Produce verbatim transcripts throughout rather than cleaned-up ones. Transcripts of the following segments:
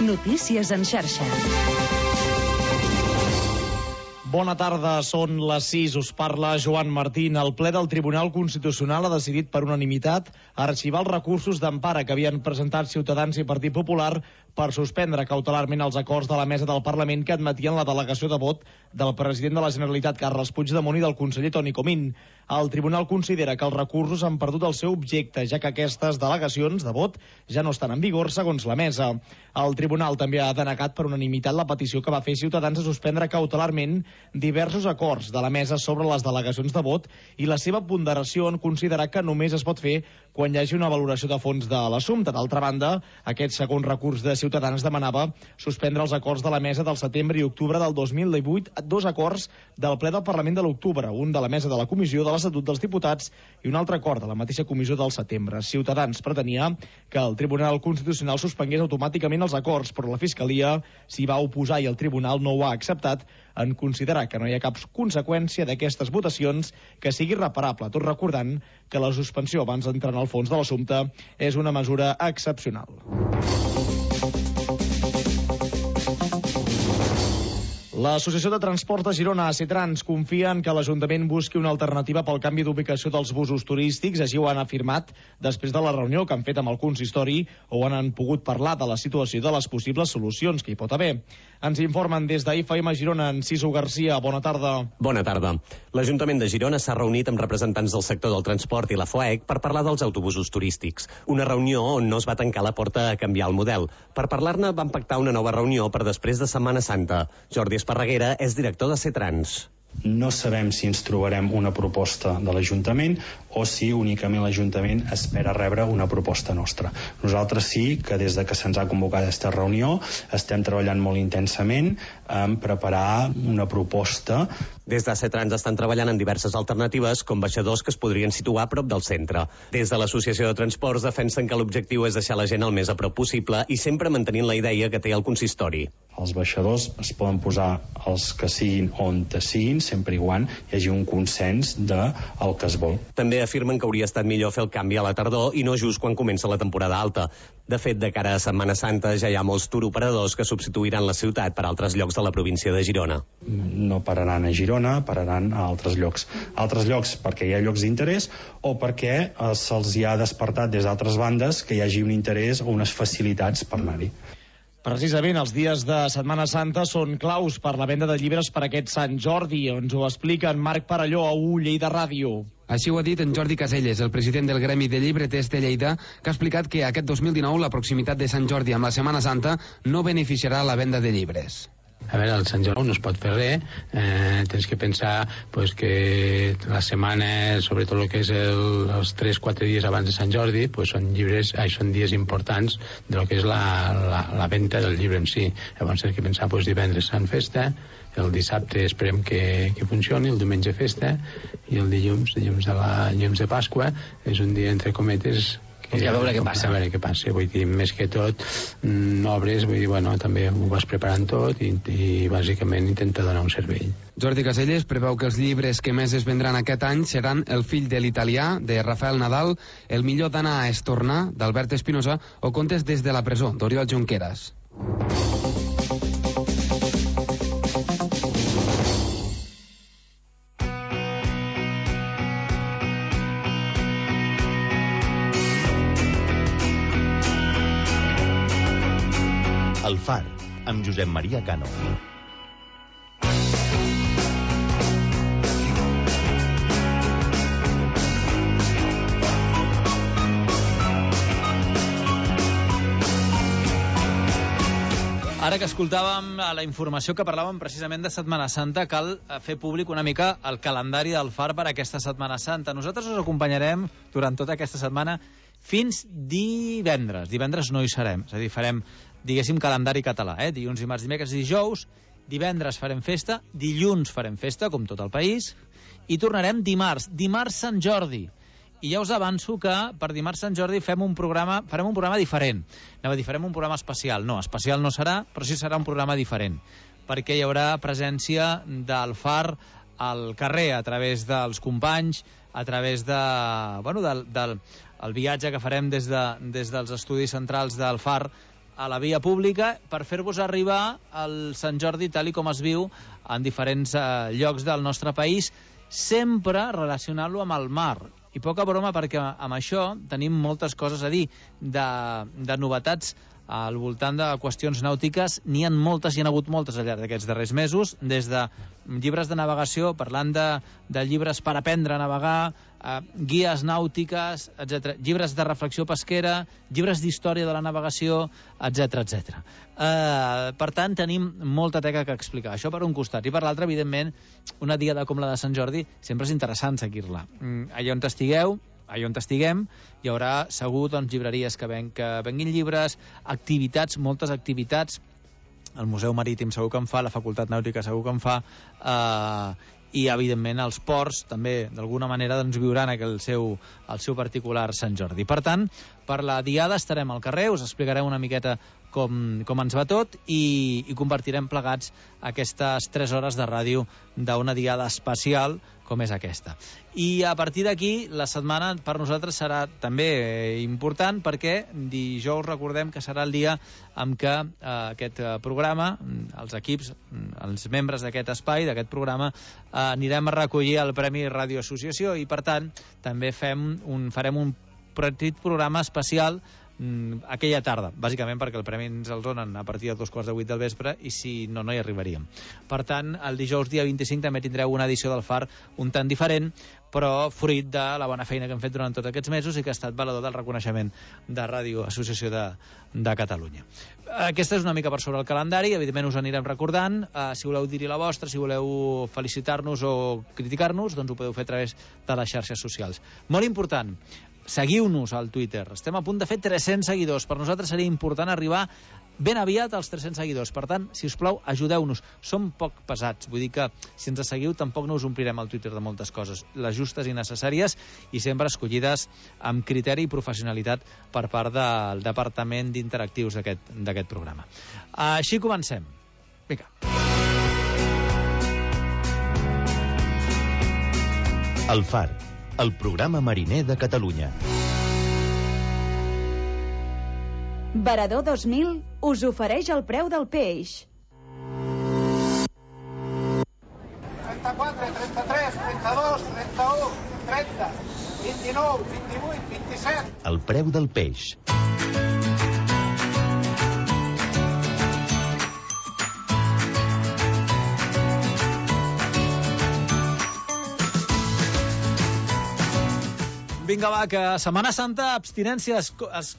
Notícies en xarxa. Bona tarda, són les sis, us parla Joan Martín. El ple del Tribunal Constitucional ha decidit per unanimitat arxivar els recursos d'empara que havien presentat Ciutadans i Partit Popular per suspendre cautelarment els acords de la mesa del Parlament que admetien la delegació de vot del president de la Generalitat, Carles Puigdemont, i del conseller Toni Comín. El Tribunal considera que els recursos han perdut el seu objecte, ja que aquestes delegacions de vot ja no estan en vigor, segons la mesa. El Tribunal també ha denegat per unanimitat la petició que va fer Ciutadans de suspendre cautelarment diversos acords de la mesa sobre les delegacions de vot i la seva ponderació en considerar que només es pot fer quan hi hagi una valoració de fons de l'assumpte. D'altra banda, aquest segon recurs de Ciutadans demanava suspendre els acords de la mesa del setembre i octubre del dos mil divuit, dos acords del ple del Parlament de l'octubre, un de la mesa de la Comissió de l'Estatut dels Diputats i un altre acord de la mateixa comissió del setembre. Ciutadans pretenia que el Tribunal Constitucional suspengués automàticament els acords, però la Fiscalia s'hi va oposar i el Tribunal no ho ha acceptat, en considerar que no hi ha cap conseqüència d'aquestes votacions que sigui reparable, tot recordant que la suspensió abans d'entrar en el fons de l'assumpte és una mesura excepcional. L'Associació de Transport de Girona, ACTrans, confia en que l'Ajuntament busqui una alternativa pel canvi d'ubicació dels busos turístics. Així ho han afirmat després de la reunió que han fet amb el consistori, on han pogut parlar de la situació i de les possibles solucions que hi pot haver. Ens informen des d'A F M Girona, en Ciso Garcia. Bona tarda. Bona tarda. L'Ajuntament de Girona s'ha reunit amb representants del sector del transport i la FOEC per parlar dels autobusos turístics. Una reunió on no es va tancar la porta a canviar el model. Per parlar-ne van pactar una nova reunió per després de Setmana Santa. Jordi Esparreguera és director de ACTrans. No sabem si ens trobarem una proposta de l'Ajuntament o si únicament l'Ajuntament espera rebre una proposta nostra. Nosaltres sí que des de que se'ns ha convocat aquesta reunió estem treballant molt intensament en preparar una proposta. Des d'ACTrans estan treballant en diverses alternatives, com baixadors que es podrien situar a prop del centre. Des de l'Associació de Transports defensen que l'objectiu és deixar la gent el més a prop possible i sempre mantenint la idea que té el consistori. Els baixadors es poden posar els que siguin on te siguin, sempre i quan hi hagi un consens del que es vol. També afirmen que hauria estat millor fer el canvi a la tardor i no just quan comença la temporada alta. De fet, de cara a Setmana Santa ja hi ha molts touroperadors que substituiran la ciutat per altres llocs de la província de Girona. No pararan a Girona, pararan a altres llocs. Altres llocs perquè hi ha llocs d'interès o perquè eh, se'ls hi ha despertat des d'altres bandes que hi hagi un interès o unes facilitats per anar-hi. Precisament els dies de Setmana Santa són claus per la venda de llibres per aquest Sant Jordi. Ens ho explica en Marc Parelló a U Lleida Ràdio. Així ho ha dit en Jordi Caselles, el president del Gremi de Llibreters de Lleida, que ha explicat que aquest dos mil dinou la proximitat de Sant Jordi amb la Setmana Santa no beneficiarà la venda de llibres. A veure, el Sant Jordi no es pot fer res, eh, tens que pensar pues, que la setmana, sobretot el que és el, els tres quatre dies abans de Sant Jordi, pues, són llibres, ai, són dies importants de lo que és la, la, la venda del llibre en si. Llavors tens que pensar pues, divendres Sant Festa, el dissabte esperem que, que funcioni, el diumenge festa, i el dilluns, dilluns de, la, dilluns de Pasqua, és un dia entre cometes I a veure què passa. A veure què passa, vull dir, més que tot, mm, obres, vull dir, bueno, també ho vas preparant tot i, i bàsicament intenta donar un servei. Jordi Caselles preveu que els llibres que més es vendran aquest any seran El fill de l'italià, de Rafael Nadal, El millor d'anar és tornar, d'Albert Espinosa, o Contes des de la presó, d'Oriol Junqueras. El Far, amb Josep Maria Cano. Ara que escoltàvem la informació que parlàvem precisament de Setmana Santa, cal fer públic una mica el calendari del Far per aquesta Setmana Santa. Nosaltres us acompanyarem durant tota aquesta setmana fins divendres. Divendres no hi serem, és a dir, farem, diguéssim, calendari català, eh? Dilluns, dimarts, dimecres i dijous. Divendres farem festa, dilluns farem festa, com tot el país, i tornarem dimarts, dimarts Sant Jordi. I ja us avanço que per dimarts Sant Jordi fem un programa, farem un programa diferent. Anava a dir, farem un programa especial. No, especial no serà, però sí serà un programa diferent, perquè hi haurà presència del Far al carrer, a través dels companys, a través de, bueno, del, del el viatge que farem des, de, des dels estudis centrals del Far a la via pública per fer-vos arribar el Sant Jordi tal i com es viu en diferents eh, llocs del nostre país, sempre relacionant-lo amb el mar. I poca broma, perquè amb això tenim moltes coses a dir de, de novetats al voltant de qüestions nàutiques. N'hi ha moltes, hi ha hagut moltes al llarg d'aquests darrers mesos, des de llibres de navegació, parlant de, de llibres per aprendre a navegar, eh, guies nàutiques, etcètera, llibres de reflexió pesquera, llibres d'història de la navegació, etcètera, etcètera. Eh, per tant, tenim molta teca que explicar. Això per un costat. I per l'altre, evidentment, una diada com la de Sant Jordi sempre és interessant seguir-la. Mm, allà on estigueu, allà on estiguem, hi haurà segur doncs, llibreries que, ven, que venguin llibres, activitats, moltes activitats. El Museu Marítim segur que en fa, la Facultat Nàutica segur que en fa, eh, i evidentment els ports també d'alguna manera doncs, viuran el seu, el seu particular Sant Jordi. Per tant, per la diada estarem al carrer, us explicarem una miqueta com, com ens va tot i, i compartirem plegats aquestes tres hores de ràdio d'una diada especial com és aquesta. I a partir d'aquí, la setmana per nosaltres serà també important perquè dijous recordem que serà el dia en què eh, aquest programa, els equips, els membres d'aquest espai, d'aquest programa, eh, anirem a recollir el Premi Ràdio Associació i, per tant, també fem un, farem un petit programa especial aquella tarda, bàsicament perquè el premi ens el donen a partir de dos quarts de vuit del vespre i si no, no hi arribaríem. Per tant, el dijous dia vint-i-cinc també tindreu una edició del Far un tant diferent, però fruit de la bona feina que hem fet durant tots aquests mesos i que ha estat valedor del reconeixement de Ràdio Associació de, de Catalunya. Aquesta és una mica per sobre el calendari, evidentment us anirem recordant, uh, si voleu dir-hi la vostra, si voleu felicitar-nos o criticar-nos, doncs ho podeu fer a través de les xarxes socials. Molt important, seguiu-nos al Twitter. Estem a punt de fer tres-cents seguidors. Per nosaltres seria important arribar ben aviat als tres-cents seguidors. Per tant, si us plau, ajudeu-nos. Som poc pesats. Vull dir que si ens seguiu tampoc no us omplirem el Twitter de moltes coses. Les justes i necessàries i sempre escollides amb criteri i professionalitat per part del Departament d'Interactius d'aquest programa. Així comencem. Vinga. El Far, el programa mariner de Catalunya. Varador dos mil us ofereix el preu del peix. trenta-quatre, trenta-tres, trenta-dos, trenta-u, trenta, vint-i-nou, vint-i-vuit, vint-i-set. El preu del peix. Vinga, va, que a Setmana Santa abstinència es, es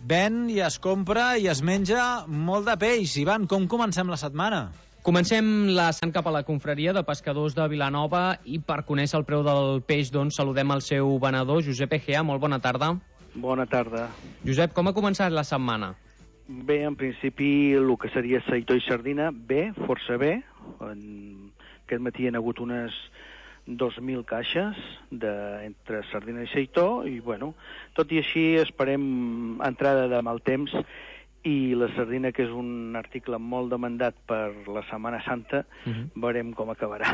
ven i es compra i es menja molt de peix. Ivan, com comencem la setmana? Comencem la sant cap a la confraria de pescadors de Vilanova i per conèixer el preu del peix, doncs, saludem el seu venedor, Josep Egea. Molt bona tarda. Bona tarda. Josep, com ha començat la setmana? Bé, en principi, el que seria seitó i sardina, bé, força bé. En... Aquest matí hi ha hagut unes dos mil caixes de, entre sardina i seitó i, bueno, tot i així esperem entrada de mal temps i la sardina, que és un article molt demandat per la Setmana Santa, uh-huh. veurem com acabarà.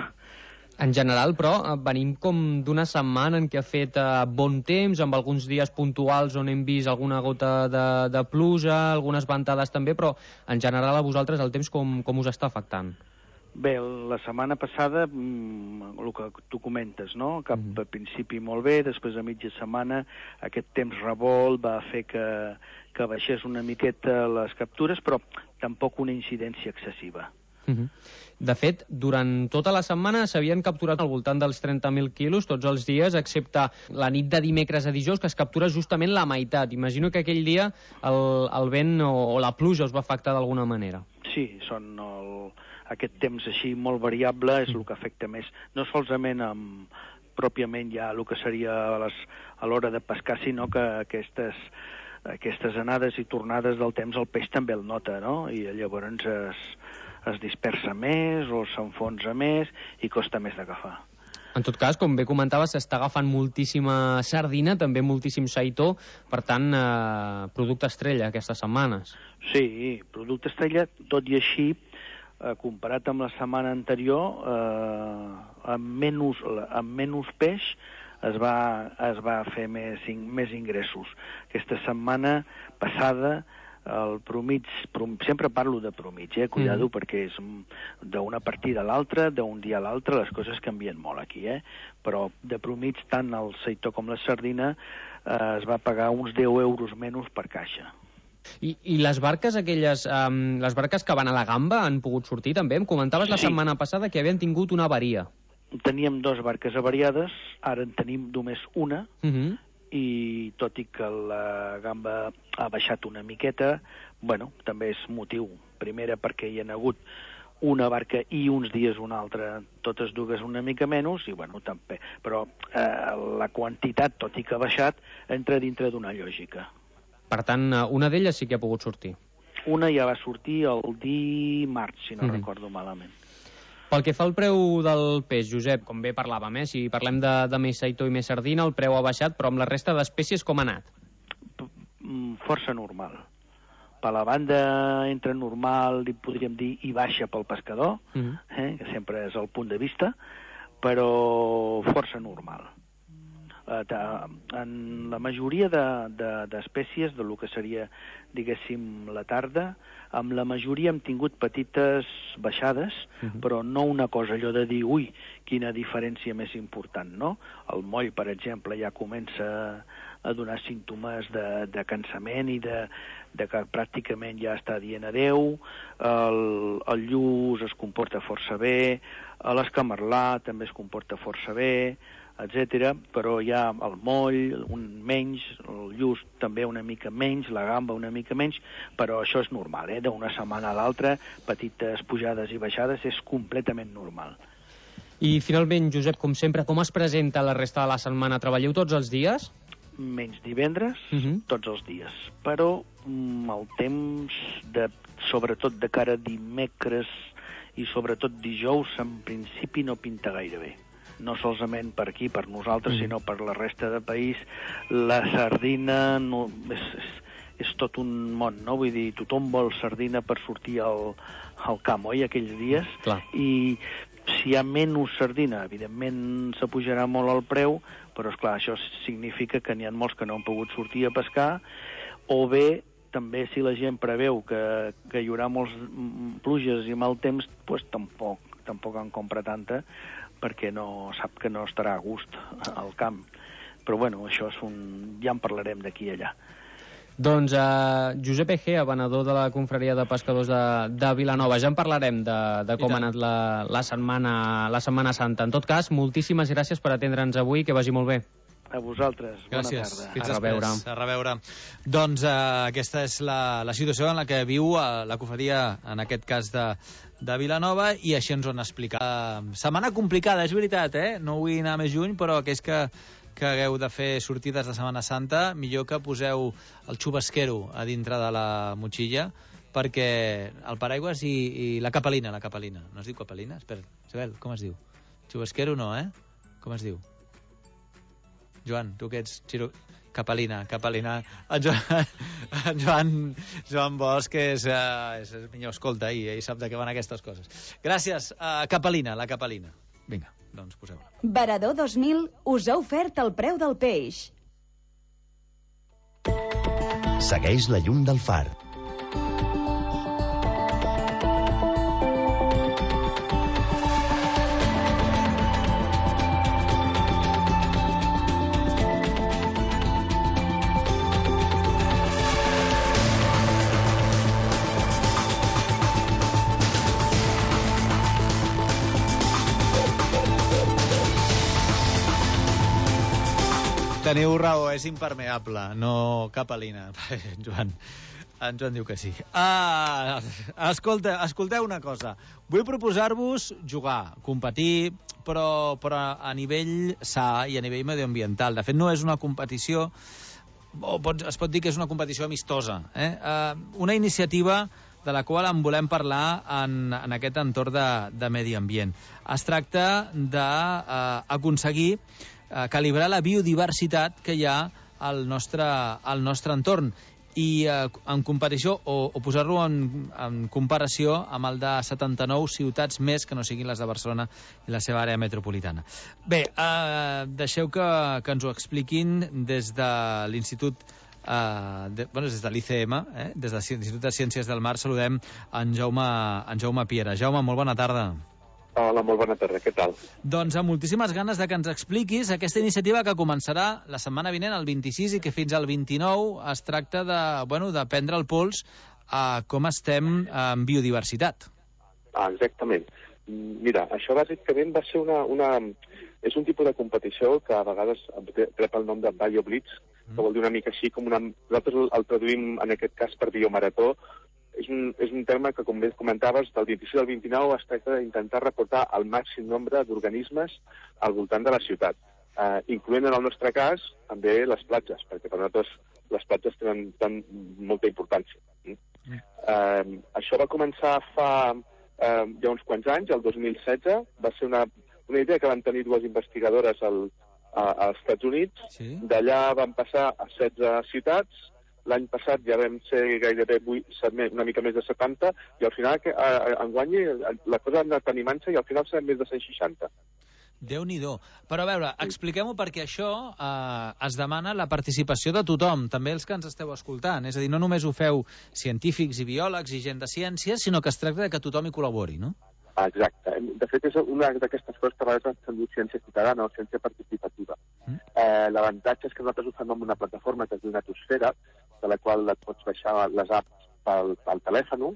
En general, però, venim com d'una setmana en què ha fet eh, bon temps, amb alguns dies puntuals on hem vist alguna gota de, de pluja, algunes ventades també, però en general a vosaltres el temps com, com us està afectant? Bé, la setmana passada, el que tu comentes, no? Cap a principi molt bé, després a mitja setmana aquest temps revolt va fer que, que baixés una miqueta les captures, però tampoc una incidència excessiva. Uh-huh. De fet, durant tota la setmana s'havien capturat al voltant dels trenta mil quilos tots els dies, excepte la nit de dimecres a dijous, que es captura justament la meitat. Imagino que aquell dia el, el vent o, o la pluja us va afectar d'alguna manera. Sí, són el... aquest temps així molt variable és el que afecta més, no solament amb, pròpiament ja el que seria a, les, a l'hora de pescar, sinó que aquestes, aquestes anades i tornades del temps el peix també el nota, no? I llavors es, es dispersa més o s'enfonsa més i costa més d'agafar. En tot cas, com bé comentava, s'està agafant moltíssima sardina, també moltíssim seitó, per tant, eh, producte estrella aquestes setmanes. Sí, producte estrella, tot i així, eh, comparat amb la setmana anterior, eh, amb, menys, amb menys peix es va, es va fer més, més ingressos. Aquesta setmana passada el promig, prom, sempre parlo de promig, eh? Cuidado, mm. perquè és d'una partida a l'altra, d'un dia a l'altre, les coses canvien molt aquí, eh? Però de promig, tant el seitó com la sardina eh, es va pagar uns deu euros menys per caixa. I, i les barques aquelles, um, les barques que van a la gamba han pogut sortir també? Em comentaves la sí. setmana passada que havien tingut una avaria. Teníem dues barques avariades, ara en tenim només una, uh -huh. i tot i que la gamba ha baixat una miqueta, bueno, també és motiu. Primera perquè hi ha hagut una barca i uns dies una altra, totes dues una mica menys, i bueno, també. Però eh, la quantitat, tot i que ha baixat, entra dintre d'una lògica. Per tant, una d'elles sí que ha pogut sortir. Una ja va sortir el dimarts, si no mm-hmm. recordo malament. Pel que fa al preu del peix, Josep, com bé parlàvem, eh? Si parlem de, de més seitó i més sardina, el preu ha baixat, però amb la resta d'espècies com ha anat? Força normal. Per la banda entre normal, podríem dir, i baixa pel pescador, mm-hmm. eh? que sempre és el punt de vista, però força normal. En la majoria d'espècies, de, de, de lo que seria, diguéssim, la tarda, amb la majoria hem tingut petites baixades, uh-huh. però no una cosa allò de dir, ui, quina diferència més important, no? El moll, per exemple, ja comença a donar símptomes de, de cansament i de, de que pràcticament ja està dient adeu, el, el lluç es comporta força bé, l'escamarlà també es comporta força bé, etcètera, però hi ha el moll, un menys, el lluç també una mica menys, la gamba una mica menys, però això és normal, eh? D'una setmana a l'altra, petites pujades i baixades, és completament normal. I finalment, Josep, com sempre, com es presenta la resta de la setmana? Treballeu tots els dies? Menys divendres, uh-huh. tots els dies. Però mm, el temps, de, sobretot de cara a dimecres i sobretot dijous, en principi no pinta gaire bé. No solament per aquí, per nosaltres, mm. sinó per la resta del país. La sardina no, és, és, és tot un món, no? Vull dir, tothom vol sardina per sortir al, al camp, oi, aquells dies? Clar. I si hi ha menys sardina, evidentment s'apujarà molt el preu, però, esclar, això significa que n'hi ha molts que no han pogut sortir a pescar, o bé, també, si la gent preveu que, que hi haurà molts pluges i mal temps, doncs tampoc, tampoc en compra tanta, perquè no, sap que no estarà a gust al camp. Però, bueno, això és un... ja en parlarem d'aquí i allà. Doncs uh, Josep Egea, venedor de la confraria de pescadors de, de Vilanova. Ja en parlarem de, de com ha anat la, la, setmana, la Setmana Santa. En tot cas, moltíssimes gràcies per atendre'ns avui, que vagi molt bé. A vosaltres. Gràcies. Bona tarda. Fins a reveure. A reveure. Doncs uh, aquesta és la, la situació en la que viu uh, la confraria, en aquest cas de, de Vilanova, i així ens ho han explicat. Uh, setmana complicada, és veritat, eh? No vull anar més lluny, però aquells que, que hagueu de fer sortides de Setmana Santa, millor que poseu el xubasquero a dintre de la motxilla, perquè el paraigües i, i la capelina, la capelina. No es diu capelina? Espera, Isabel, com es diu? Xubasquero no, eh? Com es diu? Joan, tu que ets xiro... Capelina, Capelina. En Joan, en Joan, Joan Bosch és, uh, és el millor escolta i ell sap de què van aquestes coses. Gràcies. Uh, Capelina, la Capelina. Vinga, doncs poseu-la. Varador dos mil us ha ofert el preu del peix. Segueix la llum del far. Teniu raó, és impermeable, no capelina. En Joan, en Joan diu que sí. Ah, escolta, escolteu una cosa. Vull proposar-vos jugar, competir, però, però a nivell sa i a nivell medioambiental. De fet, no és una competició, o pot, es pot dir que és una competició amistosa. Eh? Uh, una iniciativa de la qual en volem parlar en, en aquest entorn de, de medi ambient. Es tracta d'aconseguir uh, calibrar la biodiversitat que hi ha al nostre, al nostre entorn i eh, en competició o, o posar-lo en, en comparació amb el de setanta-nou ciutats més que no siguin les de Barcelona i la seva àrea metropolitana. Bé, eh, deixeu que, que ens ho expliquin des de l'Institut Uh, de, bueno, des de l'I C M, eh? Des de l'Institut de Ciències del Mar, saludem en Jaume, en Jaume Piera. Jaume, molt bona tarda. Hola, molt bona tarda, què tal? Doncs amb moltíssimes ganes de que ens expliquis aquesta iniciativa que començarà la setmana vinent, el vint-i-sis, i que fins al vint-i-nou es tracta de, bueno, de prendre el pols a com estem en biodiversitat. Ah, exactament. Mira, això bàsicament va ser una, una... És un tipus de competició que a vegades rep el nom de BioBlitz, que vol dir una mica així com una... Nosaltres el traduïm en aquest cas per biomarató. És un, és un terme que, com bé comentaves, del vint-i-sis al vint-i-nou es tracta d'intentar reportar el màxim nombre d'organismes al voltant de la ciutat, eh, incloent en el nostre cas també les platges, perquè per nosaltres les platges tenen, tenen molta importància. Mm. Eh, això va començar fa eh, ja uns quants anys, el dos mil setze, va ser una, una idea que van tenir dues investigadores al, a, als Estats Units, sí. D'allà van passar a setze ciutats. L'any passat ja vam ser gairebé vuit, una mica més de setanta, i al final, enguany, la cosa ha anat animant-se i al final serem més de cent seixanta. Déu-n'hi-do. Però a veure, expliquem-ho, perquè això eh, es demana la participació de tothom, també els que ens esteu escoltant. És a dir, no només ho feu científics i biòlegs i gent de ciències, sinó que es tracta de que tothom hi col·labori, no? Exacte. De fet, és una d'aquestes coses que a vegades s'han dit ciència ciutadana o ciència participativa. Mm. Eh, L'avantatge és que nosaltres ho fem amb una plataforma que es diu Natosfera, de la qual et pots baixar les apps pel, pel telèfon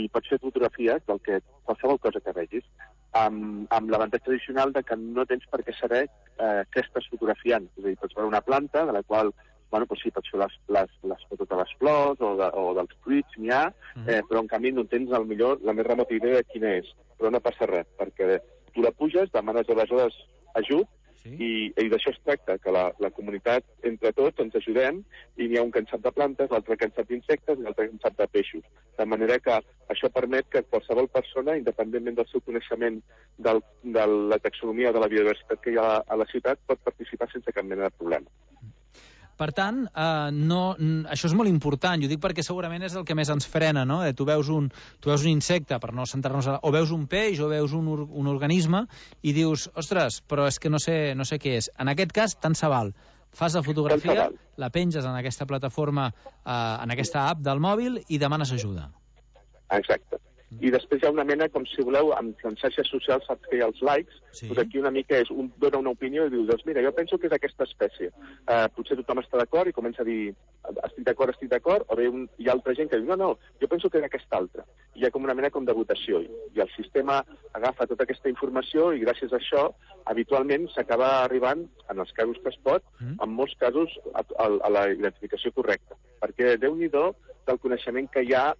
i pots fer fotografies del que, qualsevol cosa que vegis, amb, amb l'avantatge addicional de que no tens per què saber eh, què estàs fotografiant. És a dir, pots veure una planta de la qual, bueno, doncs sí, pots fer les, les, les fotos de les flors o, de, o dels fruits, n'hi ha, eh, però en canvi no tens el millor, la més remota idea de quina és. Però no passa res, perquè tu la puges, demanes aleshores ajut, sí. i, i d'això es tracta, que la, la comunitat, entre tots, ens ajudem, i n'hi ha un que en sap de plantes, l'altre que en sap d'insectes i l'altre que en sap de peixos. De manera que això permet que qualsevol persona, independentment del seu coneixement del, de la taxonomia de la biodiversitat que hi ha a la ciutat, pot participar sense cap mena de problema. Per tant, eh, no, això és molt important, jo dic perquè segurament és el que més ens frena, no? Eh, tu, veus un, tu veus un insecte, per no centrar-nos a... o veus un peix, o veus un, un organisme, i dius, ostres, però és que no sé, no sé què és. En aquest cas, tant se val. Fas la fotografia, la penges en aquesta plataforma, eh, en aquesta app del mòbil, i demanes ajuda. Exacte. I després hi ha una mena, com si voleu, amb les xarxes socials, saps que hi ha els likes, sí. Doncs aquí una mica és, un dona una opinió i diu, doncs mira, jo penso que és aquesta espècie. Uh, potser tothom està d'acord i comença a dir, estic d'acord, estic d'acord, o bé un, hi ha altra gent que diu, no, no, jo penso que és aquesta altra. I hi ha com una mena com de votació, i el sistema agafa tota aquesta informació i gràcies a això, habitualment s'acaba arribant, en els casos que es pot, mm. en molts casos, a, a, a la identificació correcta. Perquè Déu-n'hi-do del coneixement que hi ha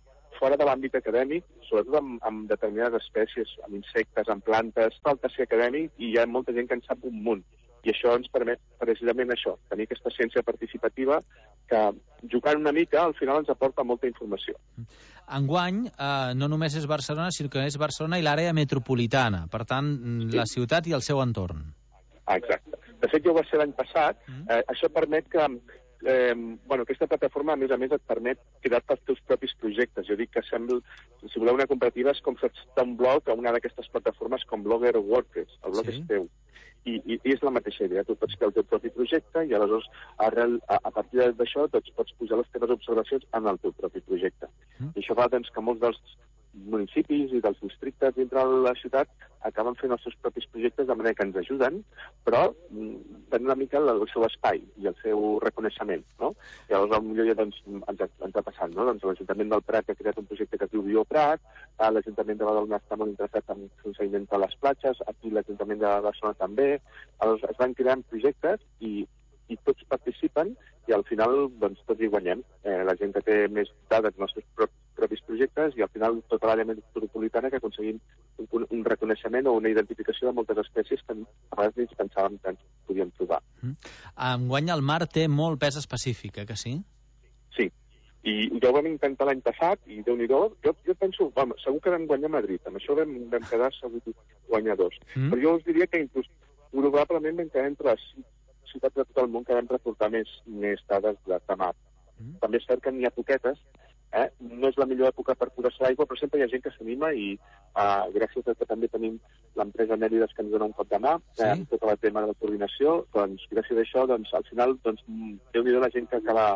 fora de l'àmbit acadèmic, sobretot amb, amb determinades espècies, amb insectes, amb plantes, falta ser acadèmic i hi ha molta gent que en sap un munt. I això ens permet precisament això, tenir aquesta ciència participativa que, jugant una mica, al final ens aporta molta informació. Enguany, eh, no només és Barcelona, sinó que és Barcelona i l'àrea metropolitana, per tant, sí. La ciutat i el seu entorn. Exacte. De fet, ja ho va ser l'any passat. Mm. Eh, això permet que... Eh, bueno, aquesta plataforma, a més a més, et permet crear-te els teus propis projectes. Jo dic que sembla, si voleu una comparativa, és com fer un blog a una d'aquestes plataformes com Blogger o WordPress. El blog sí. És teu. I, i, I és la mateixa idea. Tu pots fer el teu propi projecte i aleshores, arrel, a, a partir d'això, doncs, pots posar les teves observacions en el teu propi projecte. Mm. I això fa doncs, que molts dels municipis i dels districtes dintre de la ciutat acaben fent els seus propis projectes de manera que ens ajuden, però tenen una mica el seu espai i el seu reconeixement, no? I llavors potser ja doncs, ens, ha, ens ha passat, no? Doncs l'Ajuntament del Prat ha creat un projecte que es diu BioPrat, l'Ajuntament de Badalona està molt interessat en fer un seguiment de les platges, aquí l'Ajuntament de Barcelona també, llavors es van creant projectes i i tots participen i al final doncs, tots hi guanyem. Eh, la gent que té més dades dels nostres pro propis projectes i al final tota l'àrea metropolitana que aconseguim un, un reconeixement o una identificació de moltes espècies que a vegades ni pensàvem que ens podíem trobar. Mm. Enguany el mar té molt pes específic, eh, que sí? Sí. I ja ho vam intentar l'any passat i Déu-n'hi-do, jo, jo penso, vam, segur que vam guanyar a Madrid, amb això vam, vam quedar segur guanyadors. Mm. Però jo us diria que inclús probablement vam quedar entre les ciutats de tot el món que vam reportar més, més dades de, de mar. Mm. També és cert que n'hi ha poquetes, eh? No és la millor època per posar-se l'aigua, però sempre hi ha gent que s'anima i uh, gràcies a que també tenim l'empresa Mèrides que ens dona un cop de mà, sí. eh, tot el tema de la coordinació, doncs gràcies a això, doncs, al final, doncs, Déu-n'hi-do la gent que acaba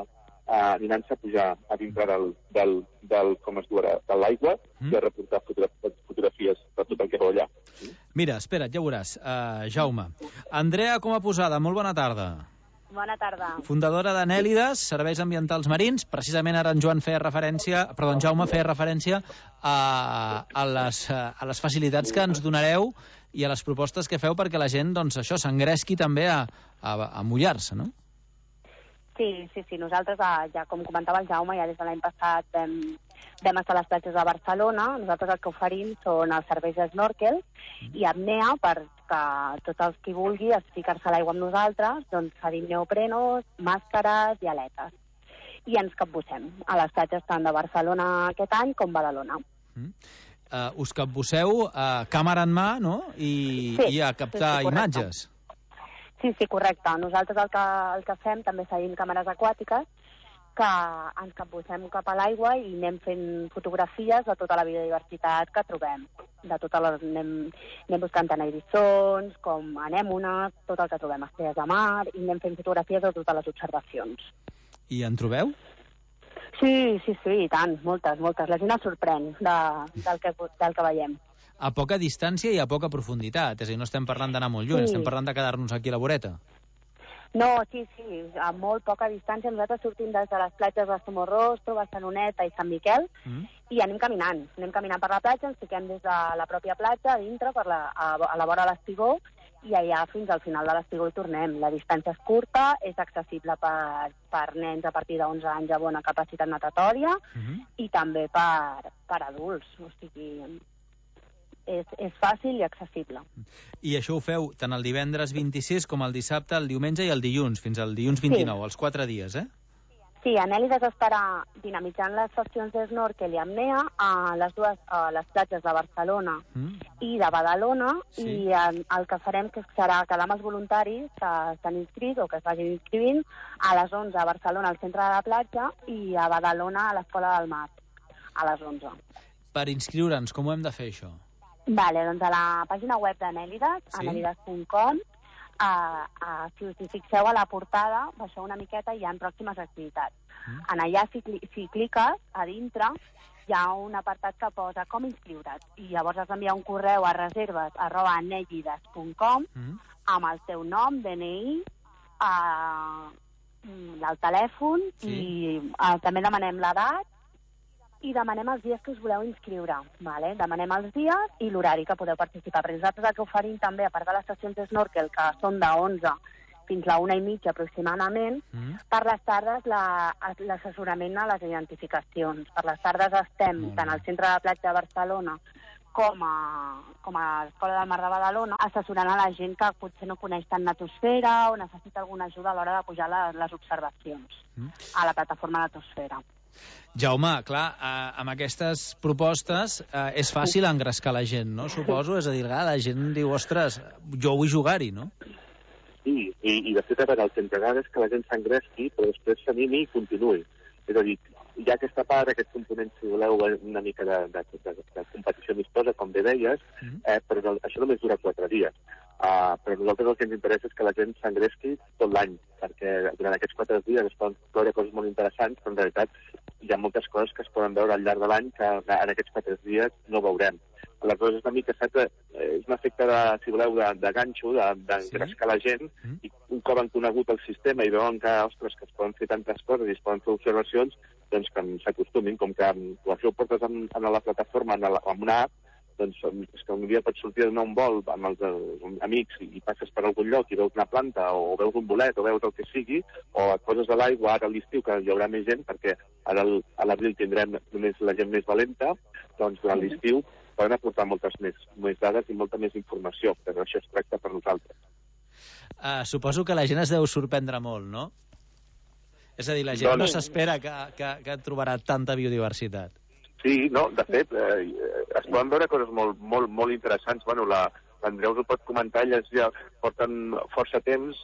uh, aniran-se a pujar a dintre del, del, del com es diu ara, de l'aigua mm. i a reportar fotografies de tot el que veu allà. Mira, espera't, ja veuràs. Uh, Jaume. Andrea Coma Posada, molt bona tarda. Bona tarda. Fundadora d'Anèlides, Serveis Ambientals Marins. Precisament ara en Joan feia referència, perdó, en Jaume feia referència a, a, les, a les facilitats que ens donareu i a les propostes que feu perquè la gent, doncs, això, s'engresqui també a, a, a mullar-se, no? Sí, sí, sí. Nosaltres, ja com comentava el Jaume, ja des de l'any passat vam, vam estar a les platges de Barcelona. Nosaltres el que oferim són els serveis de snorkel i apnea perquè tots els qui vulgui ficar-se a l'aigua amb nosaltres, doncs cedim neoprenos, màscares i aletes. I ens capbussem a les platges tant de Barcelona aquest any com Badalona. Mm. Uh, us capbusseu a uh, càmera en mà, no? I, sí, i a captar sí, sí, imatges. Sí, sí, correcte. Nosaltres el que, el que fem també cedim càmeres aquàtiques que ens capbussem cap a l'aigua i anem fent fotografies de tota la biodiversitat que trobem. De totes les, anem, anem buscant tant eriçons com anèmones, tot el que trobem, estrelles de mar, i anem fent fotografies de totes les observacions. I en trobeu? Sí, sí, sí, i tant, moltes, moltes. La gent es sorprèn de, del, que, del que veiem. A poca distància i a poca profunditat, és a dir, no estem parlant d'anar molt lluny, sí. Estem parlant de quedar-nos aquí a la voreta. No, sí, sí, a molt poca distància. Nosaltres sortim des de les platges de Somorrostro, Barceloneta i Sant Miquel mm. i anem caminant. Anem caminant per la platja, ens fiquem des de la pròpia platja, a dintre, per la, a, a la vora de l'Espigó, i allà fins al final de l'Espigó hi tornem. La distància és curta, és accessible per, per nens a partir d'onze anys a bona capacitat natatòria mm-hmm. i també per, per adults. O sigui, és, és fàcil i accessible. I això ho feu tant el divendres vint-i-sis com el dissabte, el diumenge i el dilluns, fins al dilluns vint-i-nou, sí. Els quatre dies, eh? Sí, Anèlides estarà dinamitzant les sessions de snorkel i apnea a les dues a les platges de Barcelona mm. i de Badalona, sí. I en, el que farem que serà quedar amb els voluntaris que estan inscrits o que es vagin inscrivint a les onze a Barcelona, al centre de la platja, i a Badalona, a l'Escola del Mar, a les onze. Per inscriure'ns, com ho hem de fer, això? Vale, doncs a la pàgina web d'Anèlides, sí. anèlides punt com, uh, uh, si us hi fixeu a la portada, baixeu una miqueta i hi ha pròximes activitats. Mm. En allà, si, si cliques a dintre, hi ha un apartat que posa com inscriure't, i llavors has d'enviar un correu a reserves arroba anèlides punt com mm. amb el teu nom, D N I, uh, el telèfon, sí. I uh, també demanem l'edat, i demanem els dies que us voleu inscriure. Vale? Demanem els dies i l'horari que podeu participar. Perquè nosaltres el que oferim també, a part de les sessions de snorkel, que són de onze fins a una i mitja aproximadament, mm. per les tardes l'assessorament la, a les identificacions. Per les tardes estem mm. tant al centre de la platja de Barcelona com a, com a l'Escola del Mar de Badalona, assessorant a la gent que potser no coneix tant natosfera o necessita alguna ajuda a l'hora de pujar les, les observacions mm. a la plataforma natosfera. Jaume, clar, eh, amb aquestes propostes eh, és fàcil engrescar la gent, no? Suposo, és a dir, la gent diu, ostres, jo vull jugar-hi, no? Sí, i, i de fet, a veure, el que ens agrada és que la gent s'engresqui, però després s'animi i continuï. És a dir, hi ha aquesta part, aquest component, si voleu, una mica de, de, de, de competició amistosa, com bé deies, mm-hmm. eh, però això només dura quatre dies. Uh, però a nosaltres el que ens interessa és que la gent s'engresqui tot l'any, perquè durant aquests quatre dies es poden veure coses molt interessants, però en realitat hi ha moltes coses que es poden veure al llarg de l'any que en aquests quatre dies no veurem. Aleshores, és una mica, saps, és un efecte, de, si voleu, de, de ganxo, d'engrescar de, la gent, mm. i un cop han conegut el sistema i veuen que, ostres, que es poden fer tantes coses i es poden fer observacions, doncs que s'acostumin, com que ho això ho portes en, en la plataforma, en, la, en una app, doncs és que un dia pots sortir a donar un vol amb els uh, amics i, i passes per algun lloc i veus una planta o, o veus un bolet o veus el que sigui, o et poses a l'aigua ara a l'estiu, que hi haurà més gent, perquè ara el, a l'abril tindrem només la gent més valenta, doncs durant l'estiu poden aportar moltes més, més dades i molta més informació, però això es tracta per nosaltres. Uh, suposo que la gent es deu sorprendre molt, no? És a dir, la gent doncs... no s'espera que, que, que trobarà tanta biodiversitat. Sí, no, de fet, eh, es poden veure coses molt, molt, molt interessants. Bueno, la, l'Andreu us ho pot comentar, elles ja porten força temps,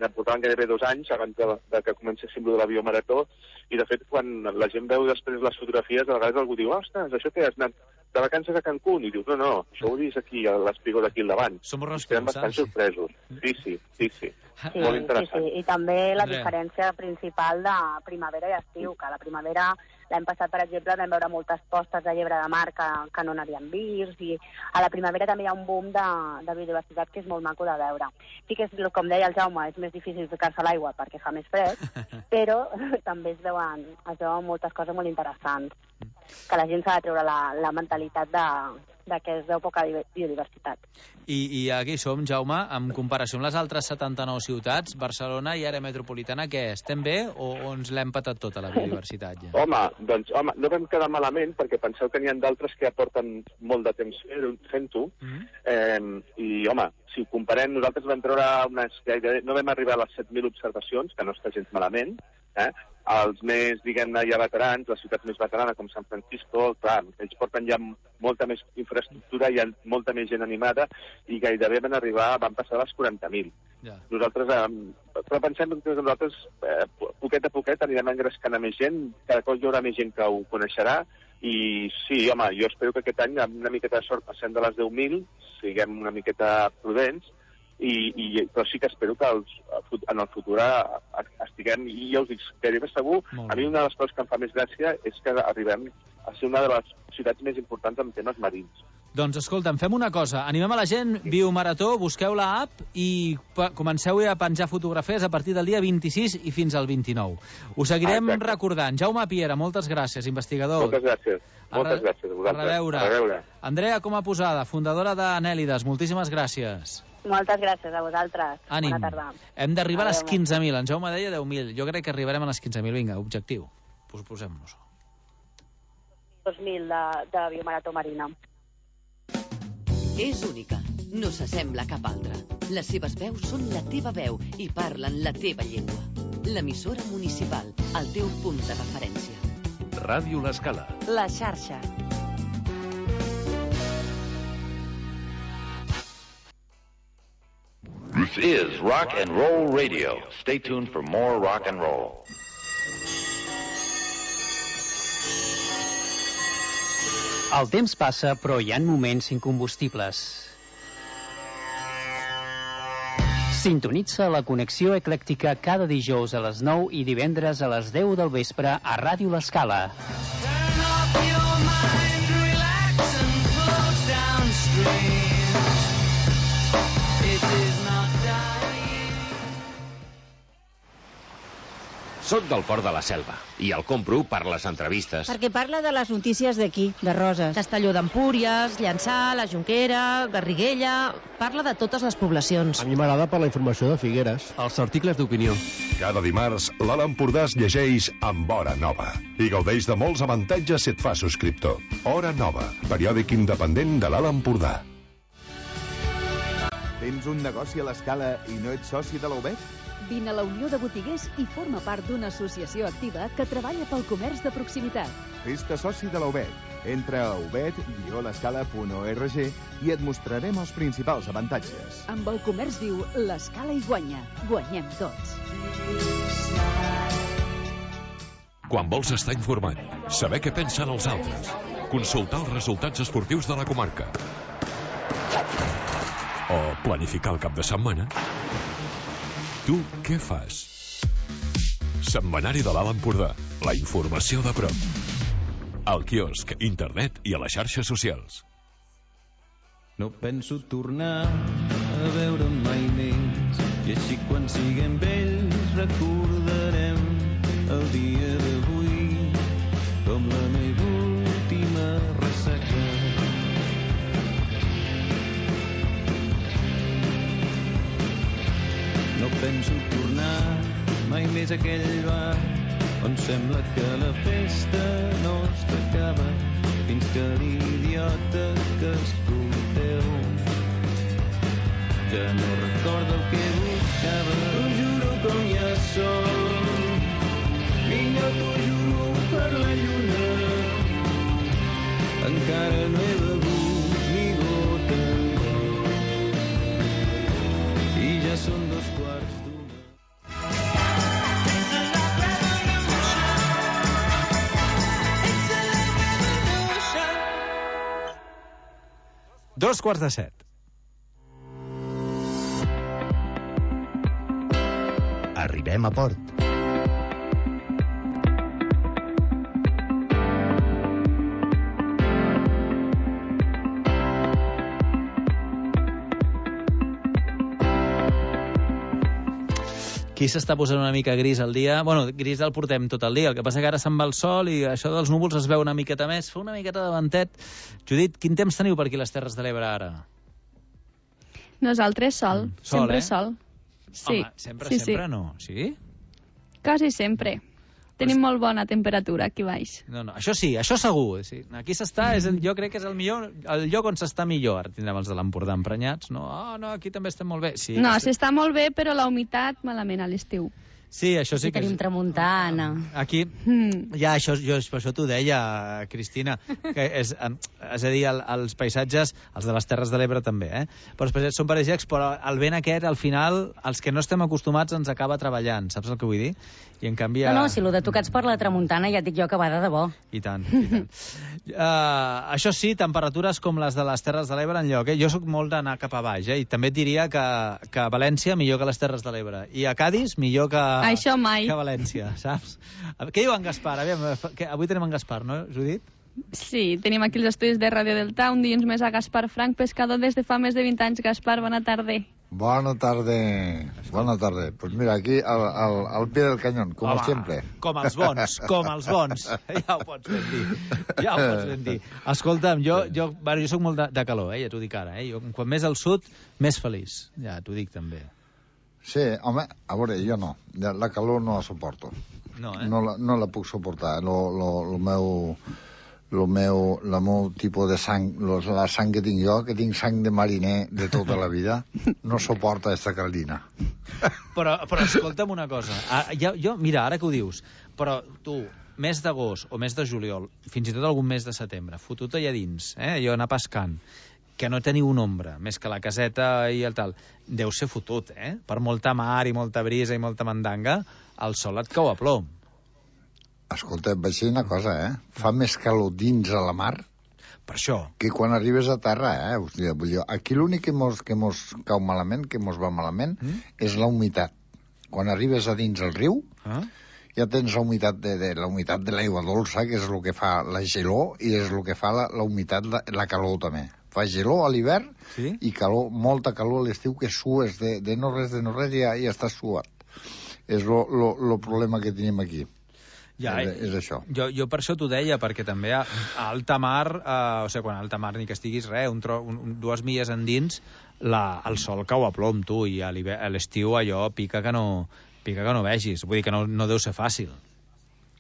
ne portaven gairebé dos anys abans de, de que comencéssim de la biomarató, i de fet, quan la gent veu després les fotografies, a vegades algú diu, ostres, això que has anat de vacances a Cancún, i dius, no, no, això ho he vist aquí, a l'espigó d'aquí al davant. Som Estem bastant sorpresos. Sí, sí, sí, sí. Sí, Molt sí, interessant. sí. I també la Andrea. diferència principal de primavera i estiu, que a la primavera, l'any passat, per exemple, vam veure moltes postes de llebre de mar que, que no n'havíem vist, i a la primavera també hi ha un boom de, de biodiversitat que és molt maco de veure. Sí que, és, com deia el Jaume, és més difícil ficar-se a l'aigua perquè fa més fred, però també es veuen, es veuen moltes coses molt interessants, que la gent s'ha de treure la, la mentalitat de, de que es veu poca biodiversitat. I, I aquí som, Jaume, en comparació amb les altres setanta-nou ciutats, Barcelona i àrea metropolitana, què? Estem bé o, o ens l'hem patat tota la biodiversitat ja? Home, doncs, home, no vam quedar malament, perquè penseu que n'hi ha d'altres que ja porten molt de temps fent-ho, Mm-hmm. eh, i, home, si ho comparem, nosaltres vam treure unes... No vam arribar a les set mil observacions, que no està gens malament, eh? Els més, diguem-ne, ja veterans, les ciutats més veteranes, com San Francisco, clar, ells porten ja molta més infraestructura, hi ha molta més gent animada, i gairebé van arribar, van passar les quaranta mil. Ja. Nosaltres, eh, però pensem que nosaltres, eh, poquet a poquet, anirem engrescant a més gent, cada cop hi haurà més gent que ho coneixerà, i sí, home, jo espero que aquest any, amb una miqueta de sort, passem de les deu mil, siguem una miqueta prudents, I, i, però sí que espero que els, en el futur estiguem, i ja us dic, gairebé segur, a mi una de les coses que em fa més gràcia és que arribem a ser una de les ciutats més importants en temes marins. Doncs escolta'm, fem una cosa, animem a la gent, Biomarató, busqueu la app i comenceu a penjar fotografies a partir del dia vint-i-sis i fins al vint-i-nou. Ho seguirem Exacte. recordant. Jaume Piera, moltes gràcies, investigador. Moltes gràcies. Moltes gràcies a vosaltres. A reveure. A reveure. Andrea Coma Posada, fundadora d'Anèlides, moltíssimes gràcies. Moltes gràcies a vosaltres. Ànim. Bona tarda. Hem d'arribar a les quinze mil. En Jaume deia deu mil. Jo crec que arribarem a les quinze mil. Vinga, objectiu. Pues posem-nos. dos mil de, de Biomarató Marina. És única. No s'assembla a cap altra. Les seves veus són la teva veu i parlen la teva llengua. L'emissora municipal, el teu punt de referència. Ràdio L'Escala. La xarxa. This is Rock and Roll Radio. Stay tuned for more rock and roll. El temps passa, però hi ha moments incombustibles. Sintonitza la connexió eclèctica cada dijous a les nou i divendres a les deu del vespre a Ràdio L'Escala. Soc del Port de la Selva i el compro per les entrevistes. Perquè parla de les notícies d'aquí, de Roses. Castelló d'Empúries, Llançà, la Jonquera, Garriguella... Parla de totes les poblacions. A mi m'agrada per la informació de Figueres. Els articles d'opinió. Cada dimarts, l'Alt Empordà es llegeix amb Hora Nova i gaudeix de molts avantatges si et fa subscriptor. Hora Nova, periòdic independent de l'Alt Empordà. Tens un negoci a l'Escala i no ets soci de la U B E T? Vine a la Unió de Botiguers i forma part d'una associació activa que treballa pel comerç de proximitat. Fes-te soci de la U B E T. Entra a ubet guió l'escala punt org i et mostrarem els principals avantatges. Amb el comerç viu, l'Escala hi guanya. Guanyem tots. Quan vols estar informat, saber què pensen els altres, consultar els resultats esportius de la comarca o planificar el cap de setmana, tu què fas? Setmanari de l'Alt Empordà. La informació de prop. Al quiosc, internet i a les xarxes socials. No penso tornar a veure mai més, i així quan siguem vells recordarem el dia d'avui com la meva última ressaca. No penso tornar mai més a aquell bar on sembla que la festa no s'acaba fins que l'idiota que escolteu ja no recorda el que buscava. T'ho juro com ja som, vinga, t'ho juro per la lluna, encara no he begut ni gota i ja són dos quarts d'una. Dos quarts de set. Arribem a port. Aquí s'està posant una mica gris el dia. Bueno, gris el portem tot el dia. El que passa que ara se'n va el sol i això dels núvols es veu una miqueta més. Fa una miqueta de ventet. Judit, quin temps teniu per aquí les Terres de l'Ebre ara? Nosaltres sol. Mm. Sol, sempre eh? sol. Sí. Home, sempre, sí, sempre sí. no. Sí? Quasi sempre. Tenim molt bona temperatura aquí baix. No, no, això sí, això segur. Sí. Aquí s'està, és el, jo crec que és el millor, el lloc on s'està millor. Ara tindrem els de l'Empordà emprenyats, no? Ah, oh, no, aquí també estem molt bé. Sí, no, estem... s'està molt bé, però la humitat malament a l'estiu. Sí, això sí, sí que... tenim tramuntana. Aquí, mm. ja, això, jo, per això t'ho deia, Cristina, que és, és a dir, el, els paisatges, els de les Terres de l'Ebre també, eh? Però els paisatges són paradisíacs, però el vent aquest, al final, els que no estem acostumats ens acaba treballant, saps el que vull dir? I en canvi... No, no, si el de tocats per la tramuntana ja et dic jo que va de debò. I tant, i tant. uh, això sí, temperatures com les de les Terres de l'Ebre enlloc, eh? Jo sóc molt d'anar cap a baix, eh? I també et diria que, que a València millor que les Terres de l'Ebre. I a Cádiz millor que... Això mai. Que a València, saps? Què diu en Gaspar? Aviam, que avui tenim en Gaspar, no, Judit? Sí, tenim aquí els estudis de Ràdio Delta, un dia més a Gaspar Frank, pescador des de fa més de vint anys. Gaspar, bona tarda. Bona tarda, bona tarda. Pues mira, aquí al, al, al pie del cañón, com Home, sempre. Com els bons, com els bons. Ja ho pots ben dir. Ja ho pots ben dir. Escolta'm, jo, jo, bueno, jo soc molt de, de calor, eh? Ja t'ho dic ara. Eh? Jo, quan més al sud, més feliç. Ja t'ho dic també. Sí, home, a veure, jo no. La calor no la suporto. No, eh? No la, no la puc suportar. Lo, lo, lo meu... El meu, el meu tipus de sang, la sang que tinc jo, que tinc sang de mariner de tota la vida, no suporta aquesta caldina. Però, però escolta'm una cosa. Ah, jo, jo, mira, ara que ho dius, però tu, mes d'agost o mes de juliol, fins i tot algun mes de setembre, fotut allà dins, eh, allò anar pescant, que no teniu un ombra, més que la caseta i el tal, deu ser fotut, eh? Per molta mar i molta brisa i molta mandanga, el sol et cau a plom. Escolta, vaig dir una cosa, eh? Fa més calor dins a la mar per això que quan arribes a terra, eh? Hòstia, vull dir, aquí l'únic que mos, que mos cau malament, que mos va malament, mm? és la humitat. Quan arribes a dins el riu, ah? ja tens la humitat de, de, la humitat de l'aigua dolça, que és el que fa la gelor, i és el que fa la, la humitat, la, la calor també. Fa gelor a l'hivern sí? i calor, molta calor a l'estiu, que sues de, de no res, de no res, i ja, ja estàs suat. És el problema que tenim aquí. Ja, és, és això. Jo, jo per això t'ho deia, perquè també a, a alta mar, eh, o sigui, quan a alta mar ni que estiguis res, un tro, un, dues milles endins, la, el sol cau a plom, tu, i a l'estiu allò pica que no, pica que no vegis. Vull dir que no, no deu ser fàcil.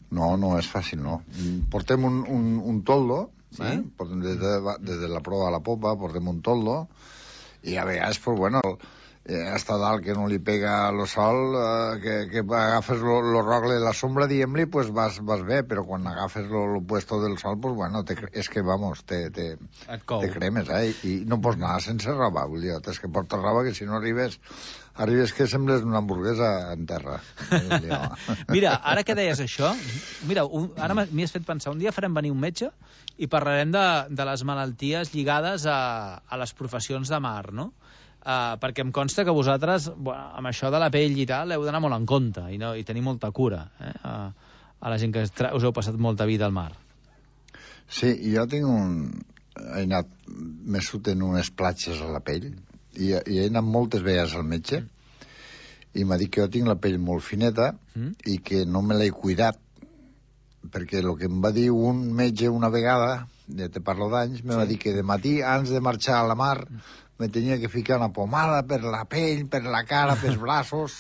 No, no és fàcil, no. Portem un, un, un toldo, sí? eh? Portem des de, des de la proa a la popa, portem un toldo, i a vegades, pues, bueno... Eh, hasta dalt que no li pega el sol, eh, que, que agafes lo, lo rogle de la sombra, diguem-li, pues vas, vas bé, però quan agafes lo, lo puesto del sol, pues bueno, te, és que, vamos, te, te, te cremes, eh? I, I no pots anar sense roba, vull dir, tens que portar roba, que si no arribes, arribes que sembles una hamburguesa en terra. Mira, ara que deies això, mira, un, ara m'hi has fet pensar, un dia farem venir un metge i parlarem de, de les malalties lligades a, a les professions de mar, no? Uh, perquè em consta que vosaltres, bueno, amb això de la pell i tal, heu d'anar molt en compte i, no, i tenir molta cura, eh? a, a la gent que us heu passat molta vida al mar. Sí, jo tinc un... He anat més en unes platges a la pell i, i he anat moltes vegades al metge i m'ha dit que jo tinc la pell molt fineta mm. i que no me l'he cuidat, perquè el que em va dir un metge una vegada, ja te parlo d'anys, me sí. va dir que de matí, abans de marxar a la mar, me tenia que ficar una pomada per la pell, per la cara, pels braços.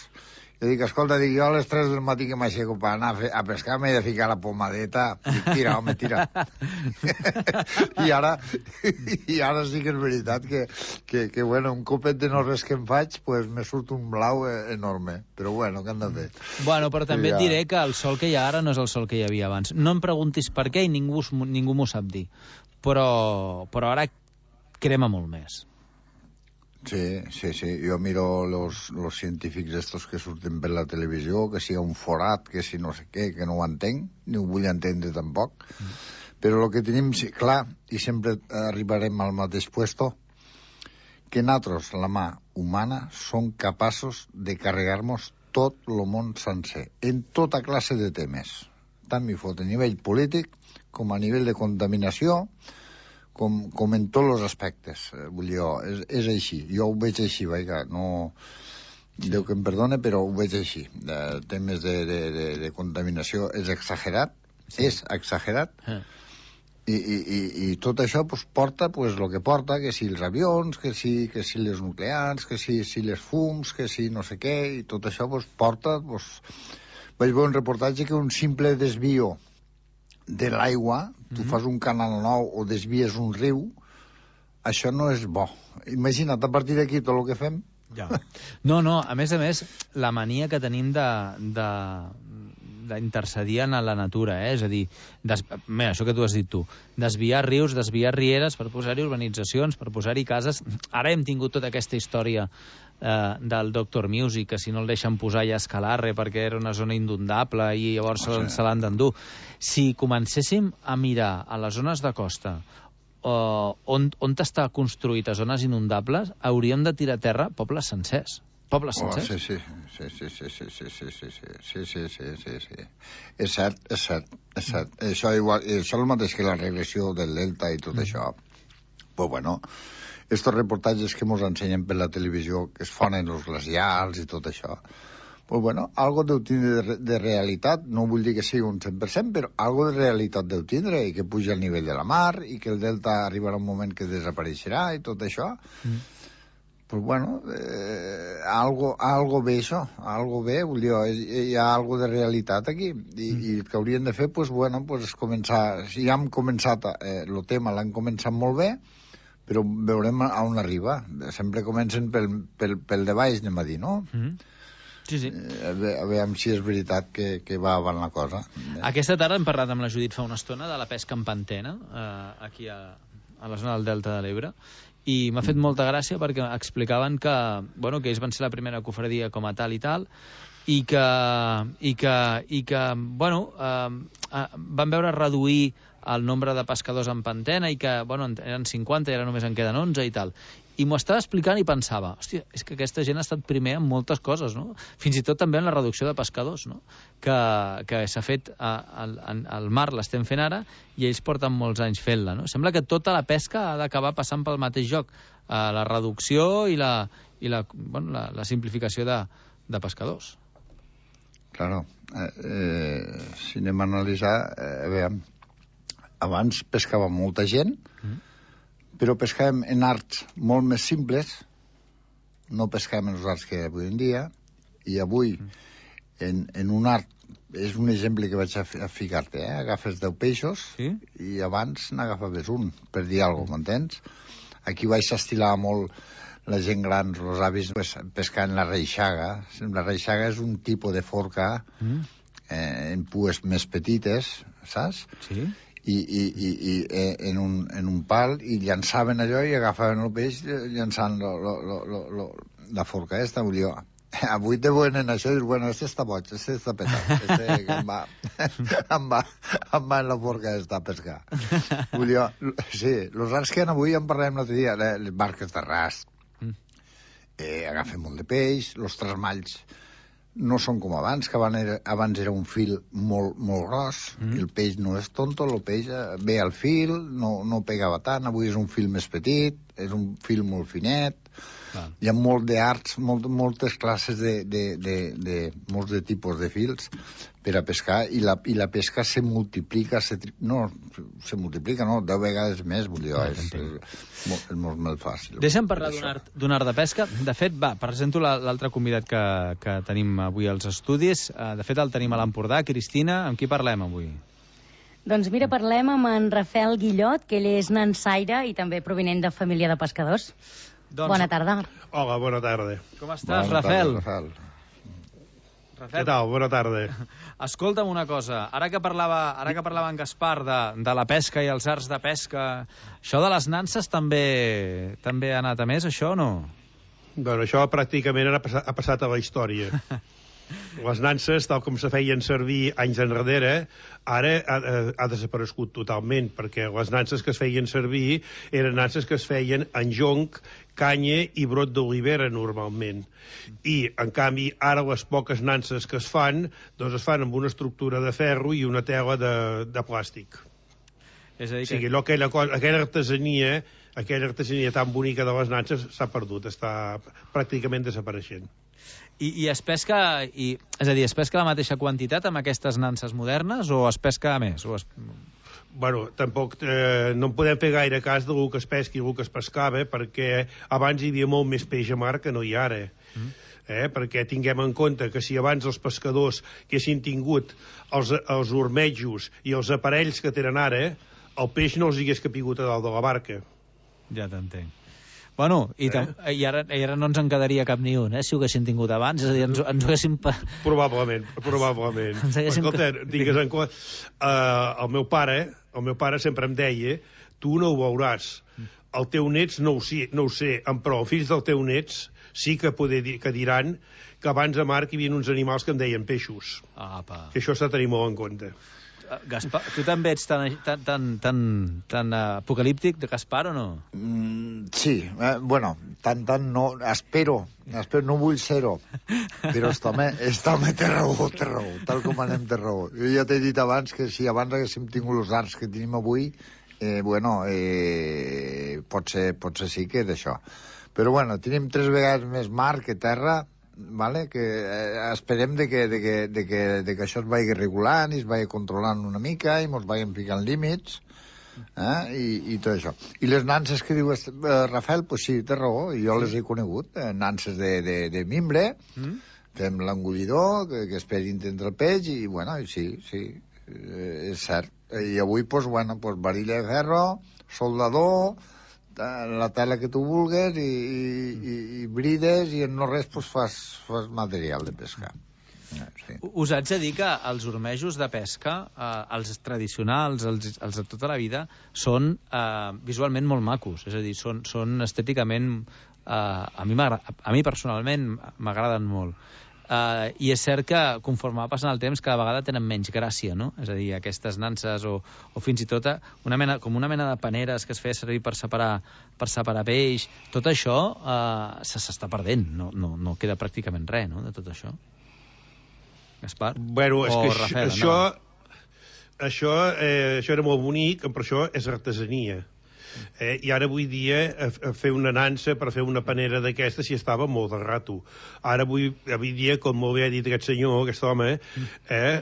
Jo dic, escolta, dic, jo a les tres del matí que m'aixeco per anar a, fer, a pescar m'he de ficar la pomadeta. Dic, tira, home, tira. I ara i ara sí que és veritat que, que, que bueno, un copet de no res que em faig, pues me surt un blau enorme. Però bueno, què han de fer? Bueno, però també ja... et diré que el sol que hi ha ara no és el sol que hi havia abans. No em preguntis per què i ningú, ningú m'ho sap dir. Però, però ara crema molt més. Sí, sí, sí. Jo miro los, los científics estos que surten per la televisió, que si hi ha un forat, que si no sé què, que no ho entenc, ni ho vull entendre tampoc. Mm. Però el que tenim, sí, clar, i sempre arribarem al mateix puesto, que nosaltres, la mà humana, som capaços de carregar-nos tot el món sencer, en tota classe de temes. Tant m'hi fot a nivell polític com a nivell de contaminació, com, com en tots els aspectes. Vull dir, és, és així. Jo ho veig així, vaja, no... Déu que em perdone, però ho veig així. De temes de, de, de, de contaminació és exagerat, sí. és exagerat, ah. I, i, i, i tot això pues, porta pues, el que porta, que si els avions, que si, que si les nuclears, que si, si les fums, que si no sé què, i tot això pues, porta... Pues... Vaig veure un reportatge que un simple desvio de l'aigua, tu mm-hmm. fas un canal nou o desvies un riu, això no és bo. Imagina't, a partir d'aquí tot el que fem... Ja. No, no, a més a més, la mania que tenim de... de... d'intercedir en la natura, eh? És a dir, des... mira, això que tu has dit tu, desviar rius, desviar rieres per posar-hi urbanitzacions, per posar-hi cases. Ara hem tingut tota aquesta història eh, del Doctor Music, que si no el deixen posar ja escalarre perquè era una zona inundable i llavors oh, sí. se l'han d'endur. Si comencéssim a mirar a les zones de costa eh, on, on està construït a zones inundables, hauríem de tirar a terra pobles sencers. Pobles sencers? Oh, sí, sí, sí, sí, sí, sí, sí, sí, sí, sí, sí, sí, sí. És cert, és cert, és cert. Mm. Això, igual, això és el mateix que la regressió del delta i tot mm. això. Pues bueno, estos reportatges que ens ensenyen per la televisió, que es fonen els glacials i tot això, pues bueno, algo deu tindre de, de realitat, no vull dir que sigui un cent per cent, però algo de realitat deu tindre, i que puja al nivell de la mar, i que el delta arribarà un moment que desapareixerà, i tot això. Mm. Pues bueno, eh, algo, algo bé això, algo bé, vull dir, hi ha algo de realitat aquí, i, mm. i el que haurien de fer, pues bueno, pues començar, si ja hem començat, eh, el tema l'han començat molt bé, però veurem a on arriba, sempre comencen pel, pel, pel de baix, anem a dir, no? Mm. Sí, sí. Eh, a, veure, a veure si és veritat que, que va avant la cosa. Aquesta tarda hem parlat amb la Judit fa una estona de la pesca en pantena, eh, aquí a, a la zona del Delta de l'Ebre, i m'ha fet molta gràcia perquè explicaven que, bueno, que ells van ser la primera cofradia com a tal i tal, i que, i que, i que bueno, eh, van veure reduir el nombre de pescadors en pantena i que, bueno, eren cinquanta i ara només en queden onze i tal. I m'ho estava explicant i pensava, hòstia, és que aquesta gent ha estat primer en moltes coses, no? Fins i tot també en la reducció de pescadors, no? Que, que s'ha fet al, al mar, l'estem fent ara, i ells porten molts anys fent-la, no? Sembla que tota la pesca ha d'acabar passant pel mateix joc, eh, la reducció i la, i la, bueno, la, la simplificació de, de pescadors. Claro. Eh, eh, si anem a analitzar, eh, a veure, abans pescava molta gent, mm. però pescàvem en arts molt més simples, no pescàvem en els arts que avui en dia, i avui en, en un art, és un exemple que vaig a, a ficar-te, eh? Agafes deu peixos sí? I abans n'agafaves un, per dir alguna cosa, m'entens? Aquí vaig estilar molt la gent gran, els avis, pues, pescant la reixaga. La reixaga és un tipus de forca mm. eh, en pues més petites, saps? Sí. I, i, i, i en, un, en un pal, i llançaven allò i agafaven el peix llançant lo, lo, lo, lo, lo, la forca aquesta. Vull dir, avui te veuen en això i dius, bueno, este està boig, este està petat, este que em va, em va, em va en la forca aquesta a pescar. Vull dir, sí, els arts que hi ha avui, en parlem l'altre dia, les barques de ras, eh, agafen molt de peix, els trasmalls no són com abans, que abans era un fil molt, molt gros, mm. el peix no és tonto, el peix ve al fil, no, no pegava tant, avui és un fil més petit, és un fil molt finet, ah. Hi ha molt d'arts, molt, moltes classes de, de, de, de, molts de tipus de fils per a pescar, i la, i la pesca se multiplica, se, no, se multiplica, no, deu vegades més, vull dir, no, és, és, és, és molt, molt fàcil. Deixa'm parlar d'un art, d'un art de pesca. De fet, va, presento l'altre convidat que, que tenim avui als estudis. De fet, el tenim a l'Empordà. Cristina, amb qui parlem avui? Doncs mira, parlem amb en Rafael Guillot, que ell és nansaire i també provinent de família de pescadors. Doncs... Bona tarda. Hola, bona tarda. Com estàs, bona Rafael? Tarda, Rafael? Rafael? Què tal? Bona tarda. Escolta'm una cosa, ara que parlava, ara que parlava en Gaspar de, de la pesca i els arts de pesca, això de les nanses també també ha anat a més, això o no? Bueno, això pràcticament ha passat, ha passat a la història. Les nanses, tal com se feien servir anys enrere, ara ha, ha desaparegut totalment, perquè les nanses que es feien servir eren nanses que es feien en jonc, canya i brot d'olivera, normalment. I, en canvi, ara les poques nanses que es fan, doncs es fan amb una estructura de ferro i una tela de, de plàstic. És a dir, o sigui, allò, aquella, cosa, aquella artesania, aquella artesania tan bonica de les nanses s'ha perdut, està pràcticament desapareixent. I, i es pesca, i, és a dir, es pesca la mateixa quantitat amb aquestes nanses modernes o es pesca més? O es... Bueno, tampoc eh, no en podem fer gaire cas del que es pesqui i el que es pescava, perquè abans hi havia molt més peix a mar que no hi ha ara. Mm. Eh? Perquè tinguem en compte que si abans els pescadors que haguessin tingut els, els ormejos i els aparells que tenen ara, el peix no els hagués capigut a dalt de la barca. Ja t'entenc. Bueno, i, eh? i, ara, i ara no ens en quedaria cap ni un, eh, si ho haguéssim tingut abans, és a dir, ens, ens ho haguéssim... Probablement, probablement. Haguéssim... Escolta, digues en compte, uh, el meu pare, el meu pare sempre em deia, tu no ho veuràs, el teu nets no ho, sé, no ho sé, però els fills del teu nets sí que, poder dir, que diran que abans a mar hi havia uns animals que en deien peixos. Apa. Que això s'ha de tenir molt en compte. Gaspar, tu també ets tan, tan, tan, tan, tan apocalíptic de Gaspar o no? Mm, sí, eh, bueno, tant, tant no, espero, espero no vull ser-ho, però este home, este home té raó, té raó, tal com anem té raó. Jo ja t'he dit abans que si abans haguéssim tingut els arts que tenim avui, eh, bueno, eh, potser, potser sí que d'això. Però bueno, tenim tres vegades més mar que terra, vale? Que eh, esperem de que, de, que, de, que, de que això es vagi regulant i es vagi controlant una mica i ens vagin ficant límits, eh? I, i tot això. I les nanses que diu eh, Rafael, pues sí, té raó, jo les he conegut, eh, nanses de, de, de mimbre, mm? Fem l'engullidor, que, que esperin entre el peix, i bueno, sí, sí, eh, és cert. I avui, pues, bueno, pues, varilla de ferro, soldador, la tela que tu vulgues i, i, i brides i en no res pues, fas, fas material de pescar. Sí. Us haig de dir que els ormejos de pesca, eh, els tradicionals, els, els de tota la vida, són eh, visualment molt macos, és a dir, són, són estèticament, eh, a, mi a mi personalment m'agraden molt. Uh, i és cert que conforme va passant el temps cada vegada tenen menys gràcia, no? És a dir, aquestes nanses o, o fins i tot una mena, com una mena de paneres que es feia servir per separar, per separar peix, tot això uh, s'està perdent, no, no, no queda pràcticament res, no?, de tot això. Gaspar? Bueno, és o que Rafael, això, això, eh, això era molt bonic, però això és artesania. Eh, I ara avui dia a, a fer una nansa per fer una panera d'aquesta si estava molt de rato. Ara avui, avui dia, com molt bé ha dit aquest senyor, aquest home, eh,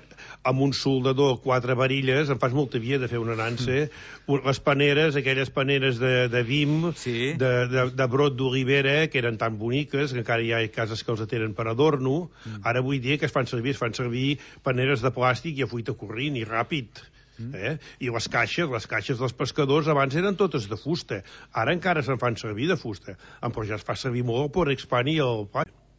amb un soldador, quatre varilles, em fas molta via de fer una nansa. Les paneres, aquelles paneres de, de vim, sí. de, de, de brot d'olivera, que eren tan boniques, que encara hi ha cases que els tenen per adorno. Ara avui dia que es fan servir, es fan servir paneres de plàstic i a fuita corrent i ràpid. Eh? I les caixes, les caixes dels pescadors abans eren totes de fusta, ara encara se'n fan servir de fusta, però ja es fa servir molt per expandir el...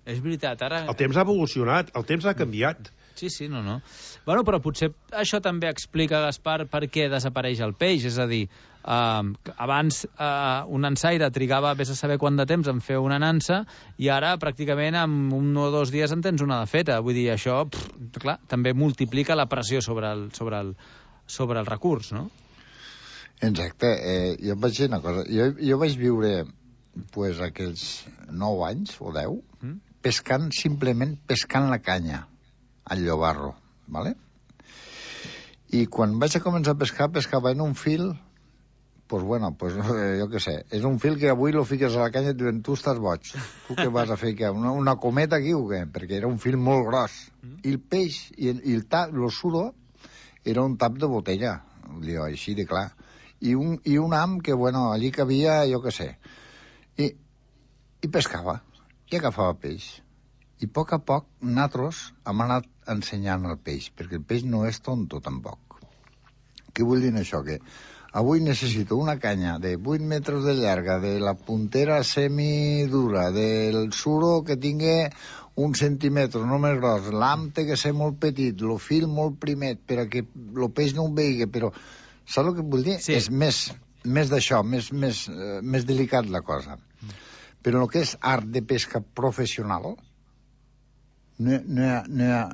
És veritat, ara... El temps ha evolucionat, el temps ha canviat. Sí, sí, no, no. Bueno, però potser això també explica, Gaspar, per què desapareix el peix, és a dir, eh, abans eh, un nansaire trigava vés a saber quant de temps en fer una nansa i ara pràcticament en un o dos dies en tens una de feta, vull dir, això, pff, clar, també multiplica la pressió sobre el, sobre el, sobre el recurs, no? Exacte. Eh, jo vaig dir una cosa. Jo, jo vaig viure pues, aquells nou anys o deu mm? pescant, simplement pescant la canya al llobarro, ¿vale? I quan vaig a començar a pescar, pescava en un fil, pues bueno, pues jo què sé, és un fil que avui lo fiques a la canya i et diuen, tu estàs boig, tu què vas a fer, què? Una, una cometa aquí o què? Perquè era un fil molt gros. Mm. I el peix, i, i el tap, el suro, era un tap de botella, diu, així de clar. I un, i un ham que, bueno, allí cabia, jo què sé. I, i pescava, i agafava peix. I a poc a poc, nosaltres hem anat ensenyant el peix, perquè el peix no és tonto, tampoc. Què vull dir això? Que avui necessito una canya de vuit metres de llarga, de la puntera semidura, del suro que tingui un centímetre, no més gros, l'ham té que ser molt petit, el fil molt primet, perquè el peix no ho vegi, però saps el que vull dir? Sí. És més, més d'això, més, més, uh, més delicat la cosa. Mm. Però el que és art de pesca professional, No, no hi ha, no hi ha...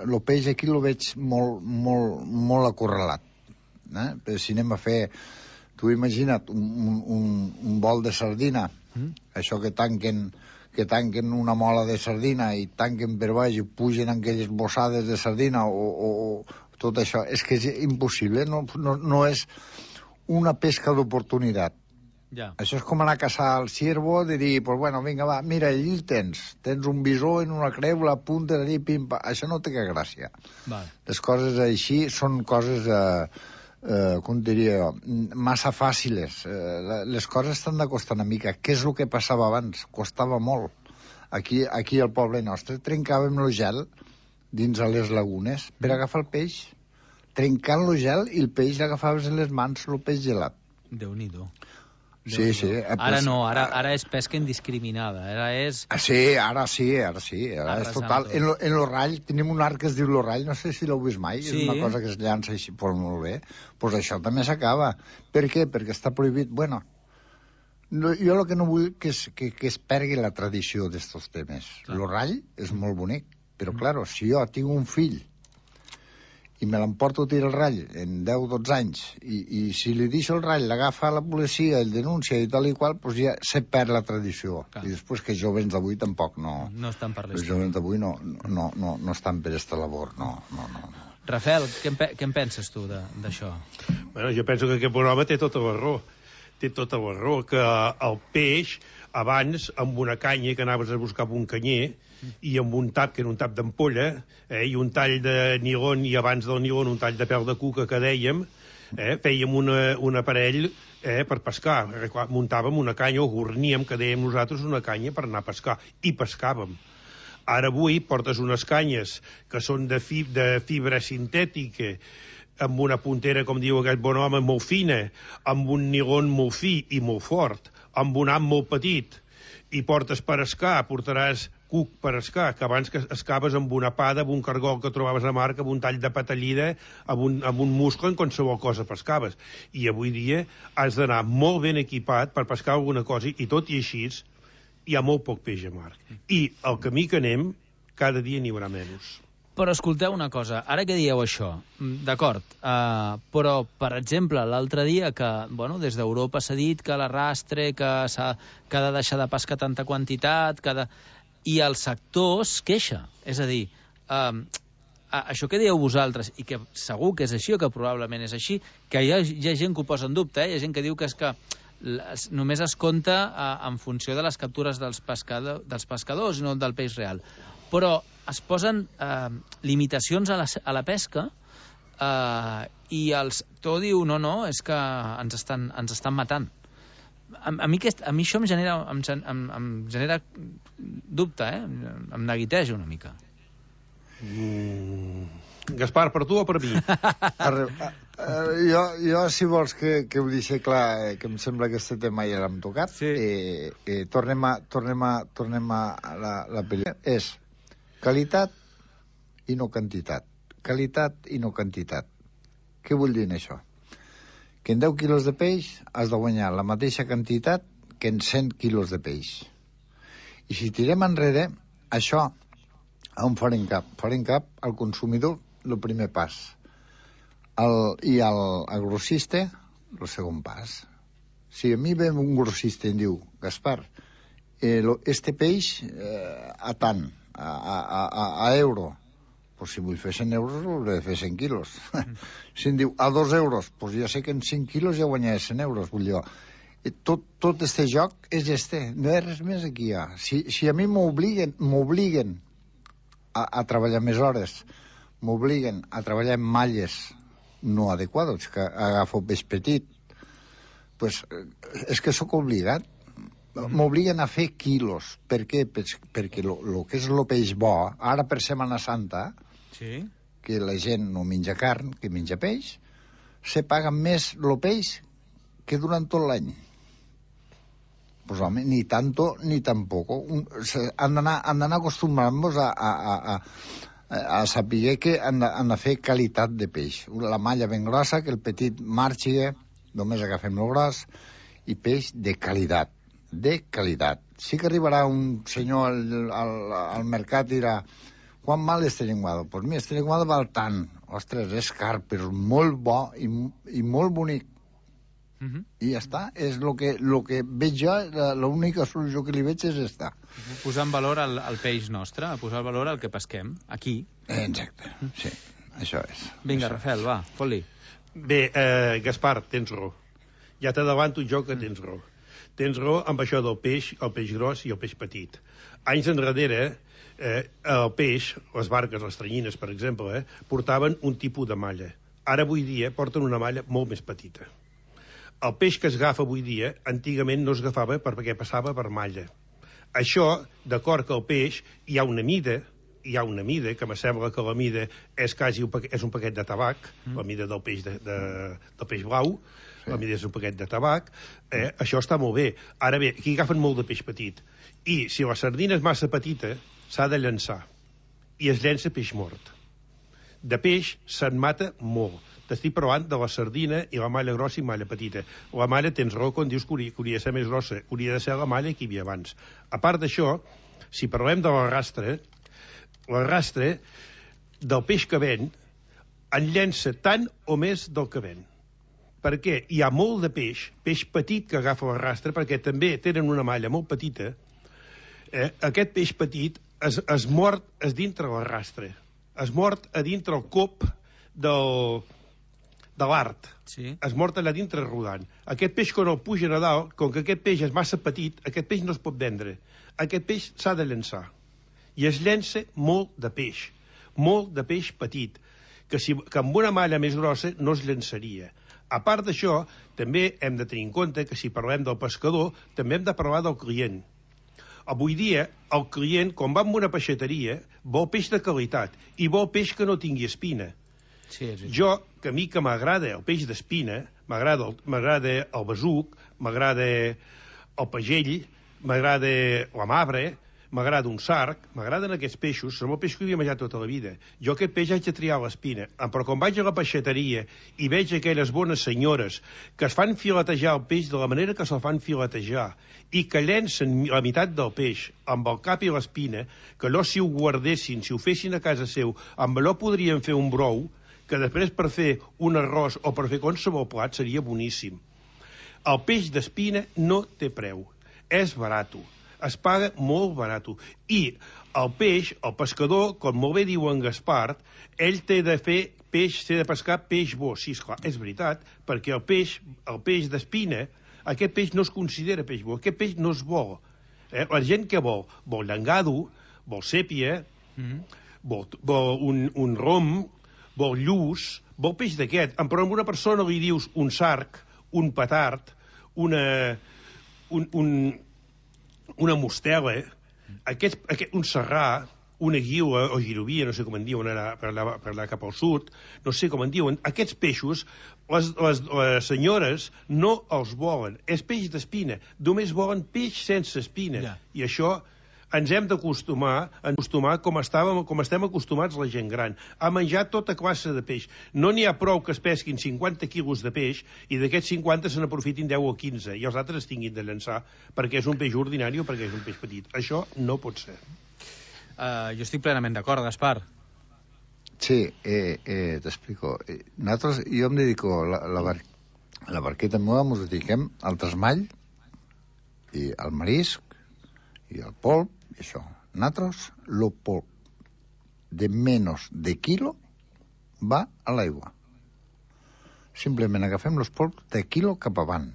El peix aquí el veig molt, molt, molt acorralat. Eh? Però si anem a fer... Tu imagina't un, un, un bol de sardina, mm. això que tanquen, que tanquen una mola de sardina i tanquen per baix i pugen aquelles bossades de sardina o, o, o tot això. És que és impossible, no, no, no és una pesca d'oportunitat. Ja. Això és com anar a caçar el ciervo, de dir, pues bueno, vinga, va, mira, allí el tens. Tens un bisó en una creu, la punta allí, pim-pam. Això no té que gràcia. Vale. Les coses així són coses, eh, eh, com diria jo, massa fàciles. Eh, les coses estan de costar una mica. Què és el que passava abans? Costava molt. Aquí, aquí al poble nostre trencàvem el gel dins a les lagunes per agafar el peix. Trencant el gel i el peix l'agafaves en les mans, el peix gelat. Déu-n'hi-do. Sí, sí. Ara no, ara, ara és pesca indiscriminada. Ara és... Ah, sí, ara sí, ara sí. Ara és total. En lo, en lo rall, tenim un arc que es diu lo rall, no sé si l'heu vist mai, sí. És una cosa que es llança així, pues molt bé. Pues això també s'acaba. Per què? Perquè està prohibit. Bueno, no, jo el que no vull que es, que, que es pergui la tradició d'estos temes. Clar. Lo rall és molt bonic, però, mm. claro, si jo tinc un fill i me l'emporto a tirar el rall en deu o dotze anys, i, i si li deixo el rall, l'agafa la policia, el denuncia i tal i qual, doncs ja se perd la tradició. Clar. I després que jovens d'avui tampoc no... No estan per l'estat. Els jovens d'avui no, no, no, no estan per esta labor, no, no, no. no. Rafael, què en, què en penses tu d'això? Bueno, jo penso que aquest bon home té tota la raó. Té tota la raó, que el peix, abans, amb una canya que anaves a buscar un canyer, i amb un tap, que era un tap d'ampolla, eh, i un tall de nilon, i abans del nilon un tall de pèl de cuca que dèiem, eh, fèiem una, un aparell eh, per pescar. Muntàvem una canya, o gorníem, que dèiem nosaltres, una canya per anar a pescar, i pescàvem. Ara avui portes unes canyes que són de, fib de fibra sintètica, amb una puntera, com diu aquest bon home, molt fina, amb un nilon molt fi i molt fort, amb un am molt petit, i portes per escar, portaràs cuc per escar, que abans que escaves amb una pada, amb un cargol que trobaves a mar, amb un tall de patallida, amb un, amb un muscle, en qualsevol cosa pescaves. I avui dia has d'anar molt ben equipat per pescar alguna cosa, i tot i així hi ha molt poc peix a mar. I el camí que anem, cada dia n'hi haurà menys. Però escolteu una cosa, ara que dieu això, d'acord, uh, però, per exemple, l'altre dia que, bueno, des d'Europa s'ha dit que l'arrastre, que s'ha que ha de deixar de pescar tanta quantitat, que de... i el sector es queixa. És a dir, uh, això que dieu vosaltres, i que segur que és així o que probablement és així, que hi ha, hi ha gent que ho posa en dubte, eh? Hi ha gent que diu que és que les, només es compta uh, en funció de les captures dels, pescador, dels pescadors i no del peix real. Però es posen eh, limitacions a la, a la pesca eh, i el sector diu no, no, és que ens estan, ens estan matant. A, a, mi, aquest, a mi això em genera, em, em, em genera dubte, eh? Em neguiteja una mica. Mm. Gaspar, per tu o per mi? Arre, uh, jo, jo, si vols que, que ho deixi clar, eh, que em sembla que aquest tema ja l'hem tocat, sí. eh, eh, tornem a, tornem a, tornem a la, la pel·lícula. És qualitat i no quantitat. Qualitat i no quantitat. Què vull dir en això? Que en deu quilos de peix has de guanyar la mateixa quantitat que en cent quilos de peix. I si tirem enrere, això on farem cap? Farem cap al consumidor, el primer pas. El, I al, al grossista, el segon pas. Si a mi ve un grossista i em diu, Gaspar, eh, lo, este peix eh, a tant, a, a, a, a euro, pues si vull fer cent euros, hauré de fer cent quilos. Mm. Si em diu a dos euros, pues ja sé que en cinc quilos ja guanyaré cent euros, vull dir. Tot, tot este joc és este, no hi ha res més aquí ja. Si, si a mi m'obliguen, m'obliguen a, a treballar més hores, m'obliguen a treballar en malles no adequades, que agafo peix petit, pues és que sóc obligat. M'obliguen a fer quilos. Per què? Perquè el que és el peix bo, ara per Setmana Santa, sí. que la gent no menja carn, que menja peix, se paga més el peix que durant tot l'any. Pues home, ni tanto ni tampoco. Un, se, han d'anar acostumant-nos a, a, a, a, a saber que han de, han de fer qualitat de peix. La malla ben grossa, que el petit marxi, només agafem el gros, i peix de qualitat. De qualitat. Sí que arribarà un senyor al, al, al mercat i dirà, Quan val este llenguado? Doncs pues mira, este llenguado val tant. Ostres, és car, però és molt bo i, i molt bonic. Uh -huh. I ja està. És el que, lo que veig jo, l'única solució que li veig és esta. Posar en valor el, el peix nostre, posar en valor el que pesquem, aquí. Exacte, sí, això és. Vinga, això Rafael, és. va, fot-li. Bé, eh, Gaspar, tens raó. Ja t'adavanto jo que tens raó. Tens raó amb això del peix, el peix gros i el peix petit. Anys enrere, eh, el peix, les barques, les tranyines, per exemple, eh, portaven un tipus de malla. Ara, avui dia, porten una malla molt més petita. El peix que es agafa avui dia, antigament no es agafava perquè passava per malla. Això, d'acord que el peix hi ha una mida, hi ha una mida, que me sembla que la mida és quasi un paquet, és un paquet de tabac, mm. la mida del peix, de, de, del peix blau, sí. La mida és un paquet de tabac, eh, això està molt bé. Ara bé, aquí agafen molt de peix petit, i si la sardina és massa petita, s'ha de llançar, i es llença peix mort. De peix se'n mata molt. T'estic parlant de la sardina i la malla grossa i malla petita. La malla, tens raó quan dius que hauria, que hauria de ser més grossa, hauria de ser la malla que hi havia abans. A part d'això, si parlem de l'arrastre, l'arrastre del peix que ven en llença tant o més del que ven. Perquè hi ha molt de peix, peix petit que agafa l'arrastre, perquè també tenen una malla molt petita. Eh, aquest peix petit es, es mort es dintre l'arrastre, es mort a dintre el cop del, de l'art, sí. Es mort allà dintre rodant. Aquest peix, quan el pugen a dalt, com que aquest peix és massa petit, aquest peix no es pot vendre. Aquest peix s'ha de llançar. I es llença molt de peix, molt de peix petit, que, si, que amb una malla més grossa no es llançaria. A part d'això, també hem de tenir en compte que si parlem del pescador, també hem de parlar del client. Avui dia, el client, quan va a una peixateria, vol peix de qualitat i vol peix que no tingui espina. Sí, és jo, que a mi que m'agrada el peix d'espina, m'agrada el, m'agrada el besuc, m'agrada el pagell, m'agrada la mabre, m'agrada un sarg, m'agraden aquests peixos, són el peix que havia menjat tota la vida. Jo aquest peix haig de triar l'espina, però quan vaig a la peixateria i veig aquelles bones senyores que es fan filetejar el peix de la manera que se'l fan filetejar i que llencen la meitat del peix amb el cap i l'espina, que allò si ho guardessin, si ho fessin a casa seu, amb allò podrien fer un brou, que després per fer un arròs o per fer qualsevol plat seria boníssim. El peix d'espina no té preu, és barat. Es paga molt barat. I el peix, el pescador, com molt bé diu en Gaspar, ell té de fer peix, té de pescar peix bo. Sí, esclar, és veritat, perquè el peix, el peix d'espina, aquest peix no es considera peix bo, aquest peix no és bo. Eh? La gent que vol, vol llangado, vol sèpia, mm-hmm. vol, vol un, un rom, vol lluç, vol peix d'aquest. Però a una persona li dius un sarg, un petard, una... un... un una mostela, aquest, aquest, un serrà, una guiua o girovia, no sé com en diuen ara per anar, per anar cap al sud, no sé com en diuen, aquests peixos, les, les, les senyores no els volen. És peix d'espina, només volen peix sense espina. Yeah. I això ens hem d'acostumar, acostumar com, estàvem, com estem acostumats la gent gran, a menjar tota classe de peix. No n'hi ha prou que es pesquin cinquanta quilos de peix i d'aquests cinquanta se n'aprofitin deu o quinze i els altres es tinguin de llançar perquè és un peix ordinari o perquè és un peix petit. Això no pot ser. Uh, jo estic plenament d'acord, Gaspar. Sí, eh, eh, t'explico. Nosaltres, jo em dedico, la, la, bar, la barqueta meva ens dediquem al tresmall i al marisc i al polp, i això. Nosaltres, el polp de menys de quilo va a l'aigua. Simplement agafem els polps de quilo cap avant.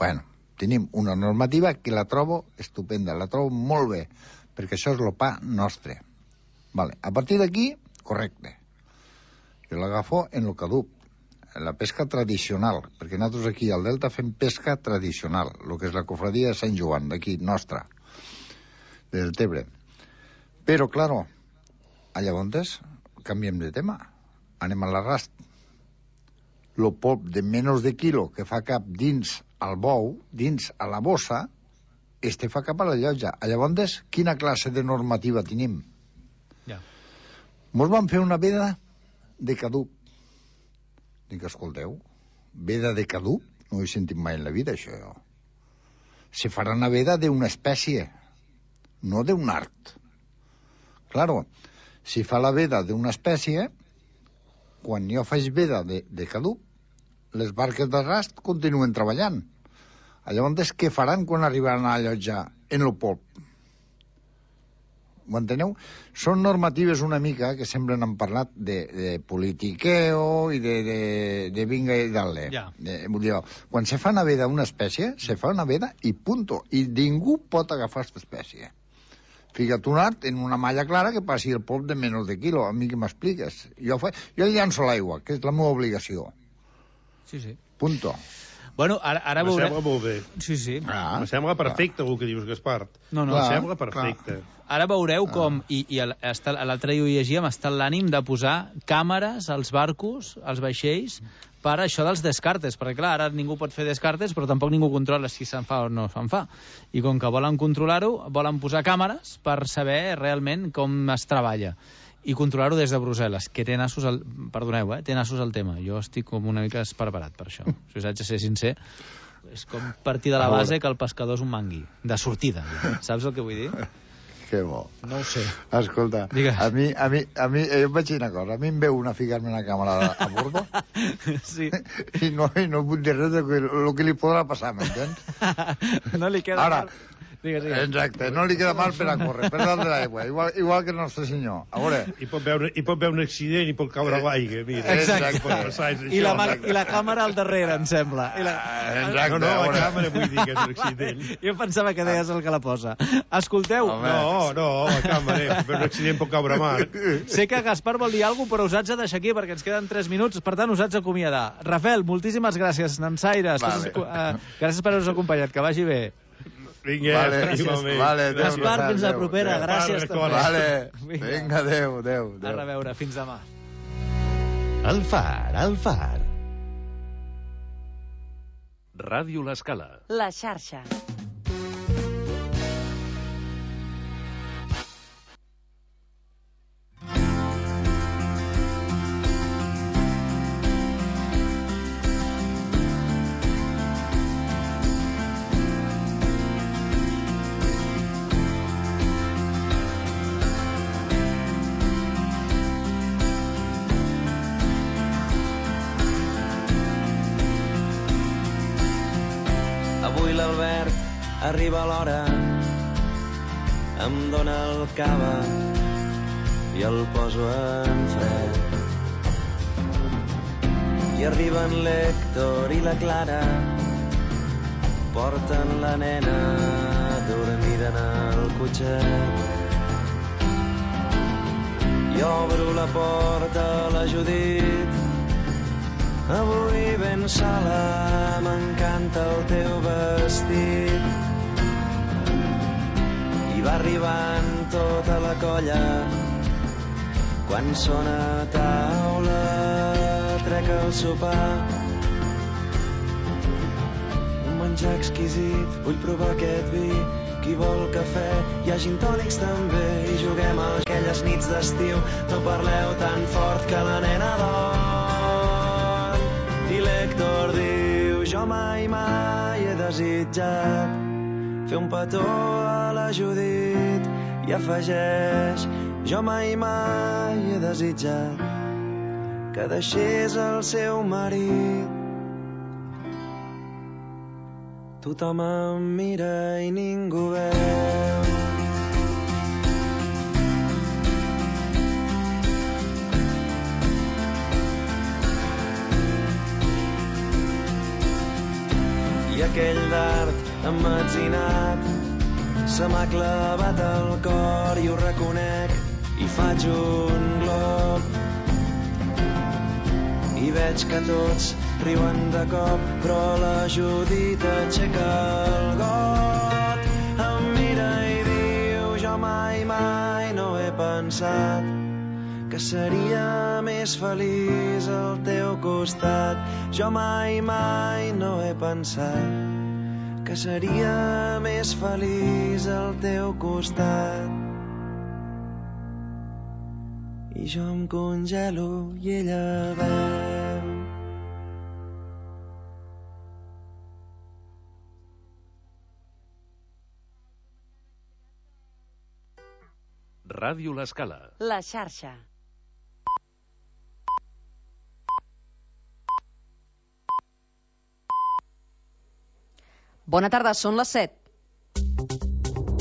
Bueno, tenim una normativa que la trobo estupenda, la trobo molt bé, perquè això és el pa nostre. Vale. A partir d'aquí, correcte. Jo l'agafo en el caduc, en la pesca tradicional, perquè nosaltres aquí al Delta fem pesca tradicional, el que és la cofradia de Sant Joan, d'aquí, nostra, del Tebre. Però, claro, a llavors canviem de tema. Anem a l'arrast. El polp de menys de quilo que fa cap dins al bou, dins a la bossa, este fa cap a la llotja. A llavors, quina classe de normativa tenim? Ja. Mos van fer una veda de caduc. Dic, escolteu, veda de caduc? No ho he sentit mai en la vida, això. Se farà una veda d'una espècie, no d'un art. Claro, Si fa la veda d'una espècie, quan jo faig veda de, de caduc, les barques de rast continuen treballant. Llavors, què faran quan arribaran a allotjar en el port? Ho enteneu? Són normatives una mica que semblen han parlat de, de politiqueo i de, de, de vinga i dale. Ja. De, vull dir, quan se fa una veda una espècie, se fa una veda i punto. I ningú pot agafar aquesta espècie. Fica't un art en una malla clara que passi el pop de menys de quilo. A mi què m'expliques? Jo, fa... jo llanço l'aigua, que és la meva obligació. Sí, sí. Punto. Bueno, ara, ara me veurem... sembla molt bé. Sí, sí. Ah, me sembla perfecte el que dius, Gaspar. No, no. Me sembla perfecte. Ara veureu com, i, i l'altre dia ho llegíem, està l'ànim de posar càmeres als barcos, als vaixells, per això dels descartes, perquè clar, ara ningú pot fer descartes, però tampoc ningú controla si se'n fa o no se'n fa. I com que volen controlar-ho, volen posar càmeres per saber realment com es treballa i controlar-ho des de Brussel·les, que té nassos al... Perdoneu, eh? Té nassos al tema. Jo estic com una mica despreparat per això. Si us haig de ser sincer, és com partir de la base que el pescador és un mangui. De sortida. Saps el que vull dir? Que bo. No ho sé. Escolta, Digues. a mi, a mi, a mi, eh, jo vaig dir una cosa, a mi em veu una ficar-me una càmera a bordo sí. i no, i no vull dir res del que, lo que li podrà passar, m'entens? No li queda... Ara, Digues, digues. exacte, no li queda mal per a córrer, per dalt de l'aigua, igual, igual que el nostre senyor. A veure... I pot veure, i pot veure un accident i pot caure a l'aigua, mira. Exacte. Exacte. I la, I la càmera al darrere, em sembla. I la... Exacte. No, no, la càmera vull dir que és un accident. Jo pensava que deies el que la posa. Escolteu... No, no, la càmera, per un accident pot caure a mar. Sé que Gaspar vol dir alguna cosa, però us haig de deixar aquí perquè ens queden tres minuts, per tant us haig d'acomiadar. Rafael, moltíssimes gràcies, nansaires. Vale. Uh, gràcies per haver-nos acompanyat, que vagi bé. Vinga, vale, igualment. Vale, Gaspar, fins la propera. Adeu. Gràcies. Vale, vinga, adeu, adeu. A reveure, fins demà. El Far, el Far. Ràdio L'Escala. La xarxa. Avui l'Albert arriba a l'hora, em dóna el cava i el poso en fred. I arriben l'Héctor i la Clara, porten la nena dormida en el cotxet. I obro la porta a la Judit, avui ben sola, m'encanta el teu vestit. I va arribant tota la colla, quan sona a taula, trec el sopar. Un menjar exquisit, vull provar aquest vi, qui vol cafè, hi ha gintònics també, i juguem a aquelles nits d'estiu, no parleu tan fort que la nena dorm. I l'Héctor diu, jo mai, mai he desitjat fer un petó a la Judit, i afegeix, jo mai, mai he desitjat que deixés el seu marit. Tothom em mira i ningú veu. I aquell dard emmetzinat se m'ha clavat al cor i ho reconec i faig un glob. I veig que tots riuen de cop, però la Judit aixeca el got, em mira i diu, jo mai, mai no he pensat que seria més feliç al teu costat. Jo mai, mai no he pensat que seria més feliç al teu costat. I jo em congelo i ella veu. Ràdio L'Escala. La xarxa. Bona tarda, són les set.